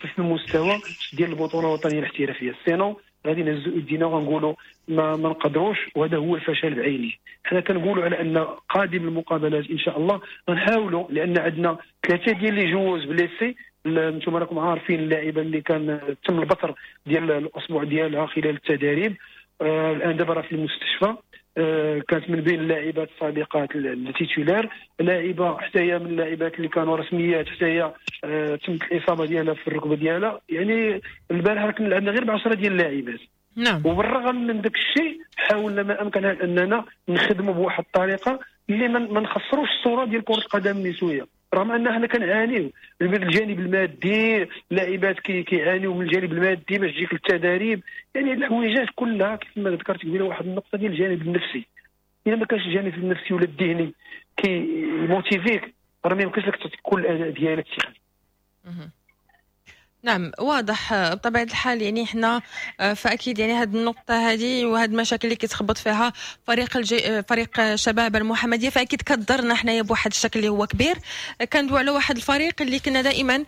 في المستوى ديال البطولة الوطنية الاحترافيه. sinon غادي نهزوا ايدينا وغنقولوا ما, ما نقدروش، وهذا هو الفشل بعينه. حنا كنقولوا على ان قادم المقابلات ان شاء الله غنحاولوا، لان عندنا ثلاثة ديال les joueuses blessées. انتم راكم عارفين اللاعبه اللي كان تم البتر ديال الاصبع ديالها خلال التدريب، آه الان دابا راه في المستشفى، آه كانت من بين اللاعبات السابقات ال titulaires. لاعبه حتى هي من اللاعبات اللي كانوا رسميات، حتى هي آه تمت الاصابة ديالها في الركبة ديالها. يعني البارح كنا لعبنا غير ب عشرة ديال اللاعبات. نعم وبالرغم من ذاك الشيء حاولنا ما امكن اننا نخدموا بواحد الطريقة اللي ما نخسروش الصورة ديال كره القدم النسويه، رغم ان حنا كنعانيو من الجانب المادي، اللاعبات كيعانيو من الجانب المادي باش تجيك التداريب، يعني الحويجات كلها. كيف ما ذكرت قبيلة واحد النقطة ديال الجانب النفسي، الا ما كانش الجانب النفسي ولا الذهني كيموتيفيك راه ما يمكنش لك تكون الاداء ديالك تقني. نعم، واضح بطبيعة الحال. يعني احنا آه، فاكيد يعني هذه النقطة هذه وهذه المشاكل اللي كيتخبط فيها فريق الجي... فريق شباب المحمدية فاكيد كضرنا حنايا بواحد الشكل اللي هو كبير. كندوي على واحد الفريق اللي كنا دائما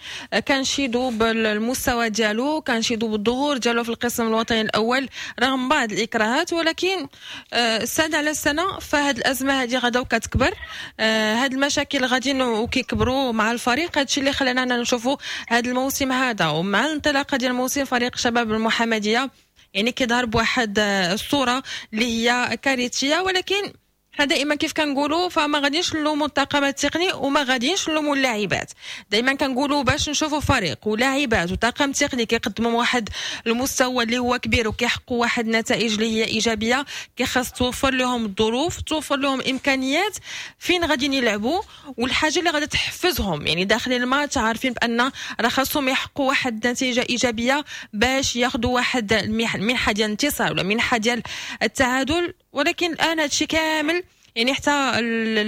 كنشيدوا بالمستوى ديالو، كنشيدوا بالظهور ديالو في القسم الوطني الاول رغم بعض الاكراهات، ولكن آه، سنة على سنة فهاد الازمة هذه غادا وكتكبر، هاد المشاكل غاديين وكيكبروا مع الفريق. هادشي اللي خلانا نشوفوا هذا الموسم هذا، ومع الانطلاقة ديال الموسم فريق شباب المحمدية يعني كيظهر بواحد الصورة اللي هي كارثيه. ولكن حنا دائما كيف كنقولوا فما غاديش نلوموا الطاقم التقني وما غاديش نلوموا اللاعبات. دائما كنقولوا باش نشوفوا فريق ولاعبات وطاقم تقني كيقدموا واحد المستوى اللي هو كبير وكيحققوا واحد النتائج اللي هي ايجابيه، كيخص توفر لهم الظروف، توفر لهم امكانيات فين غاديين يلعبوا والحاجة اللي غادي تحفزهم. يعني داخلين الماتش عارفين بان راه خاصهم يحققوا واحد النتيجة ايجابية باش ياخذوا واحد المنحة ديال الانتصار ولا منحه ديال التعادل. ولكن الان هادشي كامل يعني حتى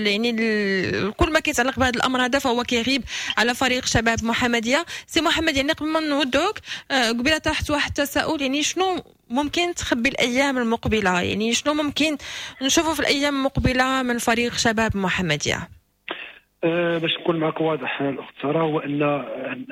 يعني كل ما كيتعلق بهذا الامر هذا فهو كيغيب على فريق شباب محمديه. سي محمد، يعني قبل ما نودعوك، آه، قبيلة طرحت واحد التساؤل، يعني شنو ممكن تخبي الايام المقبله؟ يعني شنو ممكن نشوفه في الايام المقبلة من فريق شباب محمديه؟ أه باش نكون معك واضح الاخت ساره، هو ان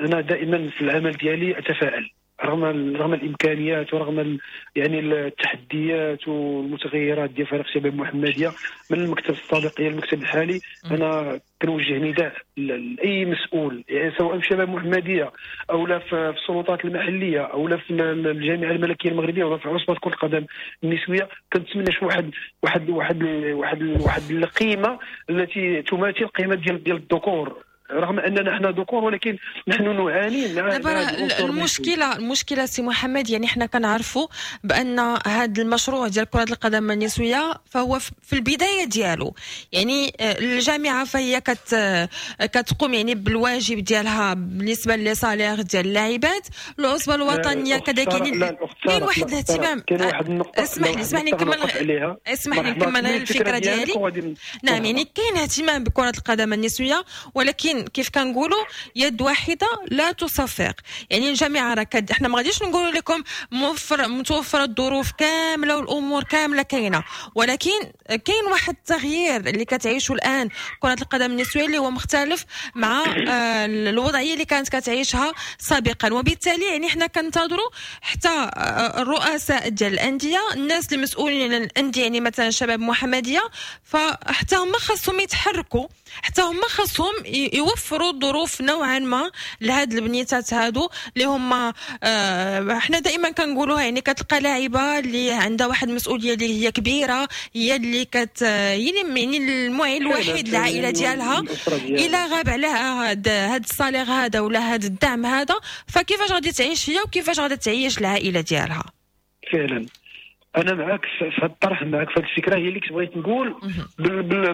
انا دائما في العمل ديالي اتفائل رغم رغم الامكانيات ورغم يعني التحديات والمتغيرات ديال فريق شباب محمديه من المكتب السابق الى المكتب الحالي. انا كنوجه نداء لاي مسؤول، يعني سواء في شباب محمديه او لا في السلطات المحلية او لا في الجامعة الملكية المغربية ولا في عصبه كره القدم النسويه، كنتمنى شي واحد واحد واحد واحد واحد القيمة التي تماثل قيمة ديال ديال الذكور. رغم اننا احنا ذكور ولكن نحن نعاني مع المشكلة. المشكلة سي محمد، يعني احنا كنعرفوا بان هذا المشروع ديال كره القدم النسوية فهو في البداية ديالو، يعني الجامعة فهي كت كتقوم يعني بالواجب ديالها بالنسبة les salaires ديال اللاعبات، العصبة الوطنية كذلك، يعني كاين واحد الاهتمام. كاين واحد النقطة، اسمح لي اسمح لي نكمل اسمح لي نكمل الفكرة ديالي. نعم، يعني كاين اهتمام بكره القدم النسوية، ولكن كيف كنقولوا يد واحدة لا تصفق. يعني الجامعة راه احنا ما غاديش نقولوا لكم موفر متوفرة الظروف كاملة والامور كاملة كاينه، ولكن كاين واحد التغيير اللي كتعيشه الان كره القدم النسوية اللي هو مختلف مع الوضعية اللي كانت كتعيشها سابقا، وبالتالي يعني احنا كنتظروا حتى الرؤساء ديال الاندية، الناس المسؤولين على الاندية، يعني مثلا شباب محمديه، فحتى هما خاصهم يتحركوا، حتى هما خاصهم يوفروا الظروف نوعا ما لهاد البنيتات هادو اللي هما آه احنا دائما كنقولوها، يعني كتلقى لاعبه اللي عندها واحد المسؤولية اللي هي كبيرة، هي اللي كت يعني المعين الوحيد للعائلة ديالها، الا غاب عليها هاد هاد ال salaire هذا ولا هاد الدعم هذا، فكيفاش غادي تعيش هي وكيفاش غادي تعيش العائلة ديالها؟ فعلا انا معاك في هذا الطرح، معاك في هذه الفكرة، هي اللي كنت بغيت نقول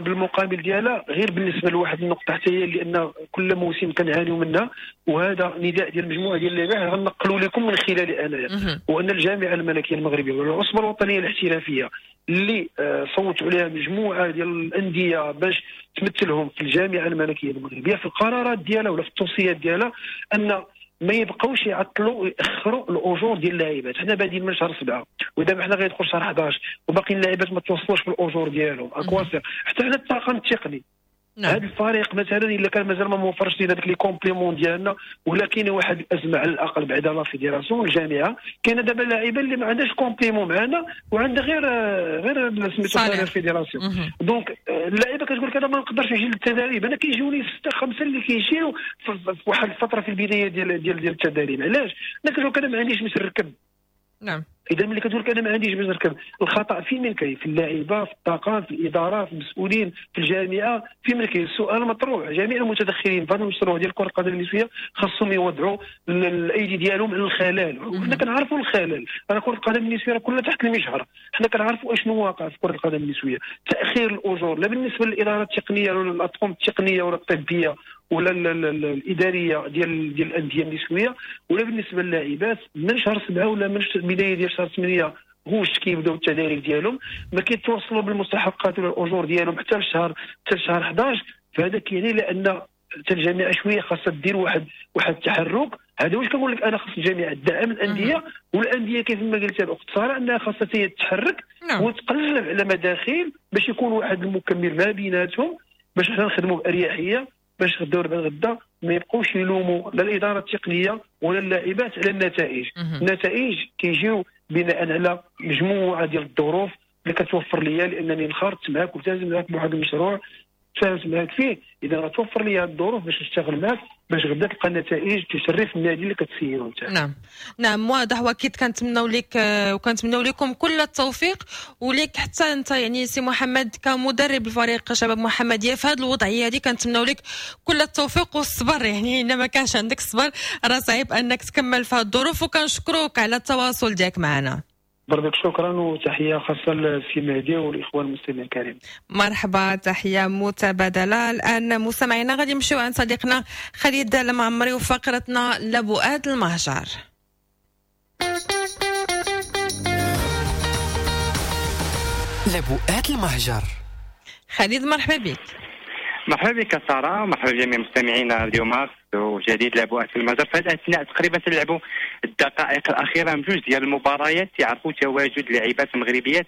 بالمقابل ديالها. غير بالنسبة لواحد النقطة حتى هي، لان كل موسم كنعانيو منها، وهذا نداء ديال مجموعة ديال اللاعبين غنقلوا لكم من خلالي انايا، وان الجامعة الملكية المغربية والعصبه الوطنية الاحترافية اللي صوتوا عليها مجموعة ديال الاندية باش تمثلهم في الجامعة الملكية المغربية في القرارات ديالها ولا في التوصيات ديالها، ان ما يبقاوش يعطلوا ويأخروا الاجور ديال اللاعبات. حنا بادين من شهر سبعة ودابا حنا غيدخل شهر حداش وباقي اللاعبات ما توصلوش في الاجور ديالهم. à quoi ça sert حتى حنا الطاقم التقني، هذا الفريق مثلا الا كان مازال ما موفرش لينا داك les compléments ديالنا، ولا كاينه واحد الازمة على الاقل بعدا la fédération الجامعة، كاينه دابا لاعبه اللي ما عندهاش complément معنا وعندها غير غير سميتو ال fédération. donc اللاعبه كتقول لك انا ما نقدرش نجي للتدريب، انا كيجوني ستة خمسة اللي كيجيو في واحد الفترة في البداية ديال ديال ديال التدريب. علاش؟ انا كتقول لك انا ما عنديش باش نركب. نعم، اذا ملي كتقول لك انا ما عنديش باش نركب، الخطا فين من كاين؟ في اللاعيبه، في الطاقم، في الادارة، في المسؤولين، في الجامعة، فين من كاين؟ السؤال مطروح. جميع المتدخلين في هذا المشروع ديال كره القدم النسوية خاصهم يوضعوا الايدي ديالهم على الخلل، وحنا كنعرفوا الخلل. راه كره القدم النسوية كلها تحت المجهر، حنا كنعرفوا اشنو واقع في كره القدم النسوية. تاخير الاجور لا بالنسبة للادارة التقنية ولا الاطقم التقنية ولا الطبية ولا الادارية ديال ديال الاندية النسوية، ولا بالنسبة للاعبات من شهر سبعة ولا من البداية ديال شهر ثمانية غوش كيبداو التداريب ديالهم، ما كيتوصلوا بالمستحقات ولا الاجور ديالهم حتى لشهر حتى لشهر حداش. فهذا كيعني لان حتى الجامعة شوية خاصها دير واحد واحد التحرك. هذا واش كنقول لك انا، خاص الجامعة تدعم الاندية، والاندية كيف ما قلت الاخت ساره انها خاصها تتحرك وتقلب على مداخيل باش يكون واحد المكمل ما بيناتهم، باش حنا نخدموا باريحية، باش غدا ولا غدا ما يبقوش يلوموا لا الادارة التقنية ولا اللاعبات على النتائج. النتائج كيجيو بناء على مجموعة ديال الظروف اللي كتوفر ليا، لانني انخرطت معاك والتزم معاك بواحد المشروع تفاهمت معاك فيه، اذا غتوفر لي الظروف باش نشتغل معاك باش غدا تلقى النتائج تشرف النادي اللي كتسيرو انت. نعم نعم واضح، واكيد كنتمناو لك وكنتمناو لكم كل التوفيق، وليك حتى انت يعني سي محمد كمدرب الفريق شباب محمديه في هذه الوضعية هذه، كنتمناو لك كل التوفيق والصبر. يعني الا ما كانش عندك الصبر راه صعيب انك تكمل في هذه الظروف، وكنشكروك على التواصل ديالك معنا. بربك شكرا، وتحية خاصة للسي مهدي والاخوان المستمعين الكريم. مرحبا، تحية متبادلة. الان مستمعينا غادي نمشيو عند صديقنا خالد المعمري وفقرتنا لبؤات المهجر. لبؤات المهجر. خالد مرحبا بك. مرحبا بك ساره، مرحبا بجميع مستمعينا راديو مارس وجديد لبؤات المهجر. في هذه الاثناء تقريبا تلعبوا الدقائق الاخيرة من جوج ديال المباريات يعرفوا تواجد لاعبات مغربيات.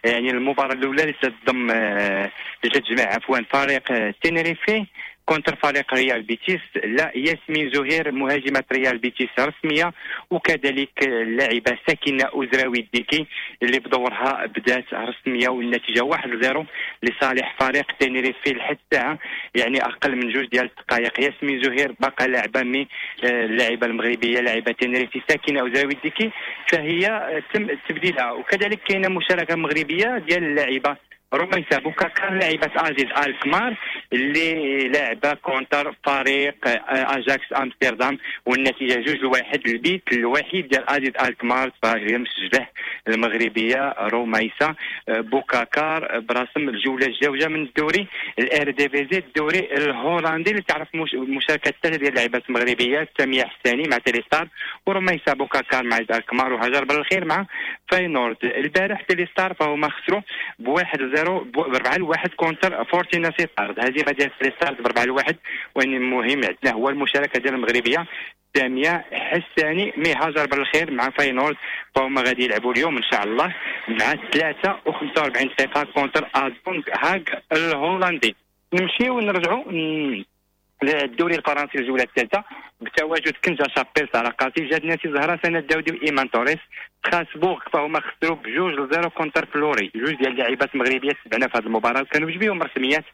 يعني المباراة الاولى اللي تضم اللي تجمع عفوا فريق تينيريفي contre فريق ريال بيتيس، لا ياسمين زهير مهاجمة ريال بيتيس رسمية، وكذلك اللاعبة ساكنة أزراوي الديكي اللي بدورها بدات رسمية، والنتيجة واحد صفر لصالح فريق تينيريفي لحد الساعة، يعني أقل من جوج ديال الدقائق. ياسمين زهير باقا لاعبة mais اللاعبة المغربية لاعبة تينيريفي ساكنة أزراوي الديكي فهي تم تبديلها. وكذلك كاينة مشاركة مغربية ديال اللاعبة رميسة بوكاكار لاعبة أ زد الكمار اللي لعبة contre فريق اجاكس امستردام، والنتيجة جوج لواحد. البيت الوحيد ديال أ زد الكمار فهي مسجله المغربية رميسة بوكاكار برسم الجولة الجوجه من الدوري الايرديفيزي، الدوري الهولندي اللي تعرف مشاركة ثلاثة ديال اللاعبات المغربيات، سامية حساني مع تيليستار ورميسة بوكاكار مع الكمار وهاجر بالخير مع فاينورد. البارح تيليستار فهما خسروا بواحد زيرو بأربعة لواحد contre فورتينا سيتارد، هزيمة ديال تيليستار بأربعة لواحد. وان المهم عندنا هو المشاركة ديال المغربية سامية حساني mais هاجر بالخير مع فاينورد، فهما غادي يلعبوا اليوم ان شاء الله مع ثلاثة وخمسة وأربعين دقيقة contre ادونغ هاغ الهولندي. نمشيو ونرجعوا للدوري الفرنسي الجولة الثالثة بتواجد كنزا شابيل، سارة قاسي، جاد ناسي، زهره سنة الداودي وايمان توريس. ستراسبورغ فهما خسروا بجوج ل zéro contre فلوري، جوج ديال اللاعبات المغربيات تبعنا في هذه المباراة كانوا بجوج رسميات،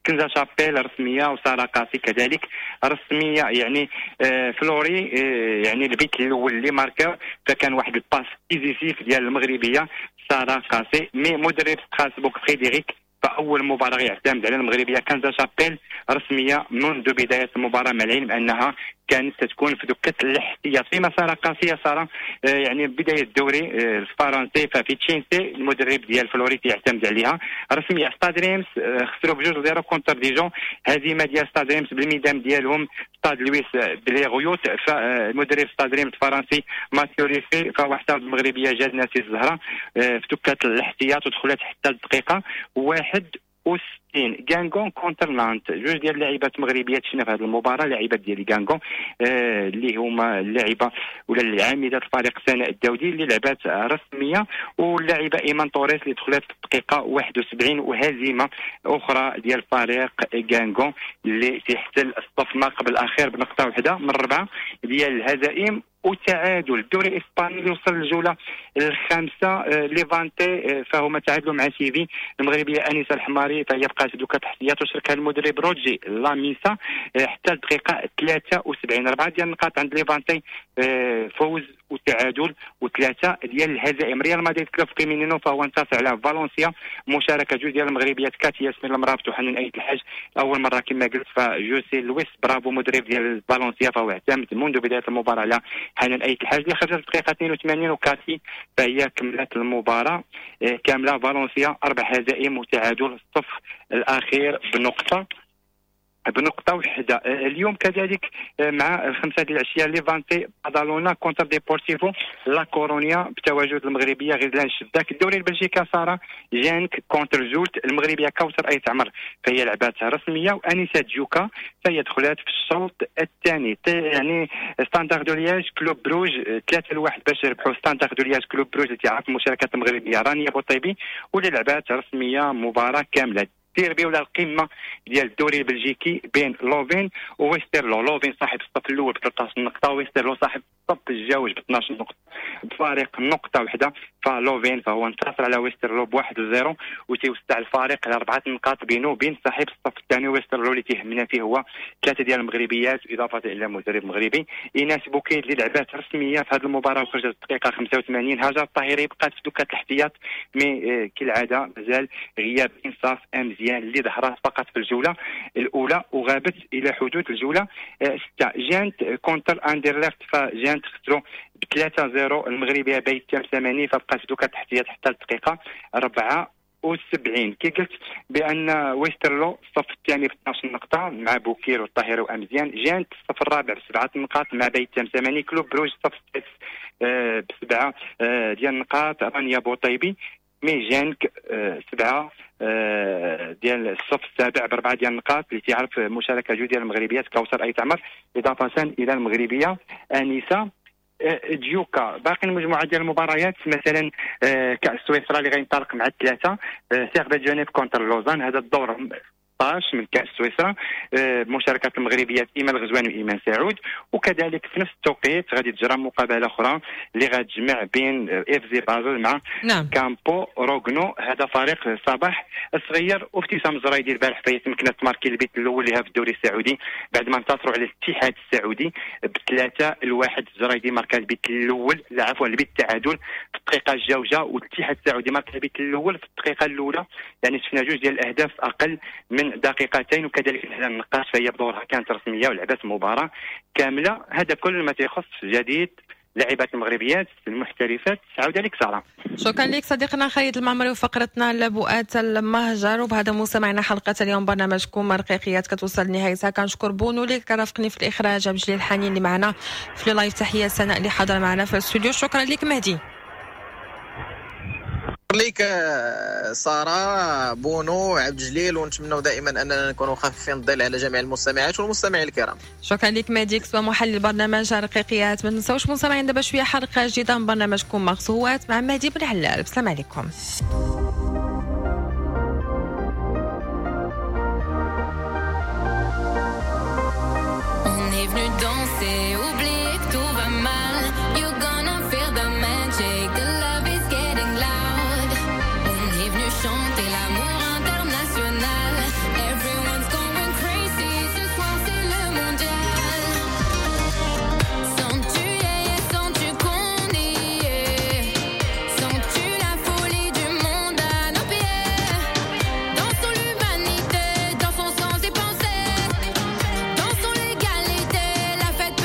كنزا شابيل رسمية وسارة قاسي كذلك رسمية. يعني آه فلوري آه يعني البيت الاول اللي ماركاو فكان واحد ال passe décisive ديال المغربية ساره قاسي. mais مدرب ستراسبورغ فريدريك فاول مباراة يعتمد على المغربية كنزا شابيل رسمية منذ بداية المباراة، مع العلم انها كانت تكون في دكه الاحتياط. في مسار قاسية ساره يعني بداية الدوري الفرنسي ففيتشينسي المدرب ديال فلوريت يعتمد عليها رسمية. ستاد ريمس خسروا بجوج zéro contre ديجون، هزيمة ديال ستاد ريمس بالميدان ديالهم ستاد لويس بليغويوت. فالمدرب ستاد ريمس الفرنسي ماتيو ريفي فهو احترز المغربية جاد ناسي الزهرة في دكه الاحتياط ودخلت حتى الدقيقة واحد وستين. غانغون contre نانت، جوج ديال اللاعبات المغربيات شفنا في هذه المباراة، لاعبات ديال غانغون آه اللي هما اللاعبه ولا العامده الفريق سناء الداودي اللي لعبات رسمية، واللاعبه ايمان توريس اللي دخلت في الدقيقة واحد وسبعين. وهزيمة اخرى ديال فريق غانغون اللي تيحتل الصف ما قبل الاخير بنقطة واحدة من ربعه ديال الهزائم وتعادل. الدوري الاسباني اللي وصل للجوله الخامسة، ليفانتي فهما تعادلوا مع سيفي. المغربية انيسة الحماري فهي بقات دوكا تحتيات وشاركها المدرب روجي لاميسا حتى الدقيقة ثلاثة وسبعين. اربعة ديال النقاط عند ليفانتي، فوز وتعادل وثلاثة ديال الهزائم. ريال مدريد club femenino فهو انتصر على فالنسيا، مشاركة جوج ديال المغربيات كاتيا ياسمين المرابط وحنان ايت الحاج. اول مرة كما قلت فجوسي لويس برافو مدرب ديال فالنسيا فهو اعتمد منذ بداية المباراة على حنان ايت الحاج اللي خرجت الدقيقة اثنين وثمانين، وكاتي فهي كملت المباراة كاملة. فالنسيا اربع هزائم وتعادل، الصف الاخير بنقطة بنقطة واحدة. اليوم كذلك مع الخمسة ديال العشية ليفانتي بادالونا contre ديبورتيفو لا كورونيا بتواجد المغربية غزلان الشباك. الدوري البلجيكي سارة جانك contre زولت، المغربية كوثر أيت عمر فهي لعباتها رسمية، وأنيسة جوكا فهي دخلات في الشوط الثاني. يعني ستاندار دو لياج كلوب بروج ثلاثة لواحد باش يربحوا ستاندار دو لياج كلوب بروج اللي تعرف المشاركات المغربية رانيا بوطيبي واللي لعبات رسمية مباراة كاملة. ديربي ولا القمه ديال الدوري البلجيكي بين لوفين وويسترلو. لوفين صاحب الصف الاول ب ثلاثة عشر نقطة، ويسترلو صاحب الصف الجوج ب اثناش نقطة بفارق نقطة واحدة. فلوفين فهو انتصر على ويسترلو بواحد لزيرو وتيوسع الفارق على اربعة نقاط بينه وبين صاحب الصف الثاني ويسترلو اللي تيهمنا فيه هو ثلاثة ديال المغربيات اضافه الى مدرب مغربي. ايناس بوكيد اللي لعبات رسمية في هذه المباراة وخرجت الدقيقة خمسة وثمانين. هاجر الطاهري بقات في دكه الاحتياط mais كالعادة مازال غياب انصاف مزيان اللي ظهرت فقط في الجولة الاولى وغابت الى حدود الجولة ستة. جانت contre اندرلخت، فجانت خسروا ب ثلاثة صفر المغربية بيت ثمانية فبقات دوكا تحتيات حتى الدقيقة أربعة وسبعين. كي قلت بان ويسترلو الصف الثاني ب اثناش نقطة مع بوكير والطاهر وامزيان، جانت الصف الرابع بسبعة نقاط مع بيت ثمانية، كلوب بروج الصف السادس بسبعة ديال النقاط رانيا بوطيبي، mais جانك سبعة ديال الصف السابع باربعة ديال النقاط اللي تعرف مشاركة جوج ديال المغربيات كوثر ايت عمر اضافه الى المغربية انيسة ديوكا. باقي المجموعة ديال المباريات مثلا كاس سويسرا اللي غينطلق مع الثلاثة، سيرفيت جنيف contre لوزان، هذا الدور ستة عشر من كأس سويسرا بمشاركة المغربيات إيمان الغزواني وإيمان سعود. وكذلك في نفس التوقيت غادي تجرى مقابلة أخرى اللي غتجمع بين إف زي بازل مع نعم. كامبو روغنو، هذا فريق صباح الصغير. وابتسام الزرايدي البارح فهي تمكنت تماركي البيت الأول لها في الدوري السعودي بعد ما انتصروا على الاتحاد السعودي بثلاثة لواحد. الزرايدي ماركا البيت الأول، لا عفوا البيت التعادل في الدقيقة الجوجة، والاتحاد السعودي ماركا البيت الأول في الدقيقة الأولى. يعني شفنا جوج ديال الأهداف أقل من دقيقتين. وكذلك الهلال النقاش فهي بدورها كانت رسمية ولعبت مباراة كاملة. هذا كل ما تيخص جديد لاعبات المغربيات المحترفات. عودة لك سارة. شكرا لك صديقنا خالد المعمري وفقرتنا لبؤات المهجر. وبهذا مستمعنا حلقة اليوم برنامجكم رقيقيات كتوصل لنهايتها. كنشكر بونو اللي كرافقني في الإخراج، عبد الجليل الحنين اللي معنا في live، تحية سناء اللي حاضرة معنا في الاستوديو. شكرا لك مهدي. لك سارة، بونو، عبد الجليل، ونتمنوا دائما اننا نكونوا خفيفين الظل على جميع المستمعات والمستمعين الكرام. شكرا لك مهدي كسوة محلل برنامج رقيقيات. ما تنساوش مستمعين دابا شوية حلقة جديدة من برنامجكم مغزوات مع مهدي بن علال. السلام عليكم.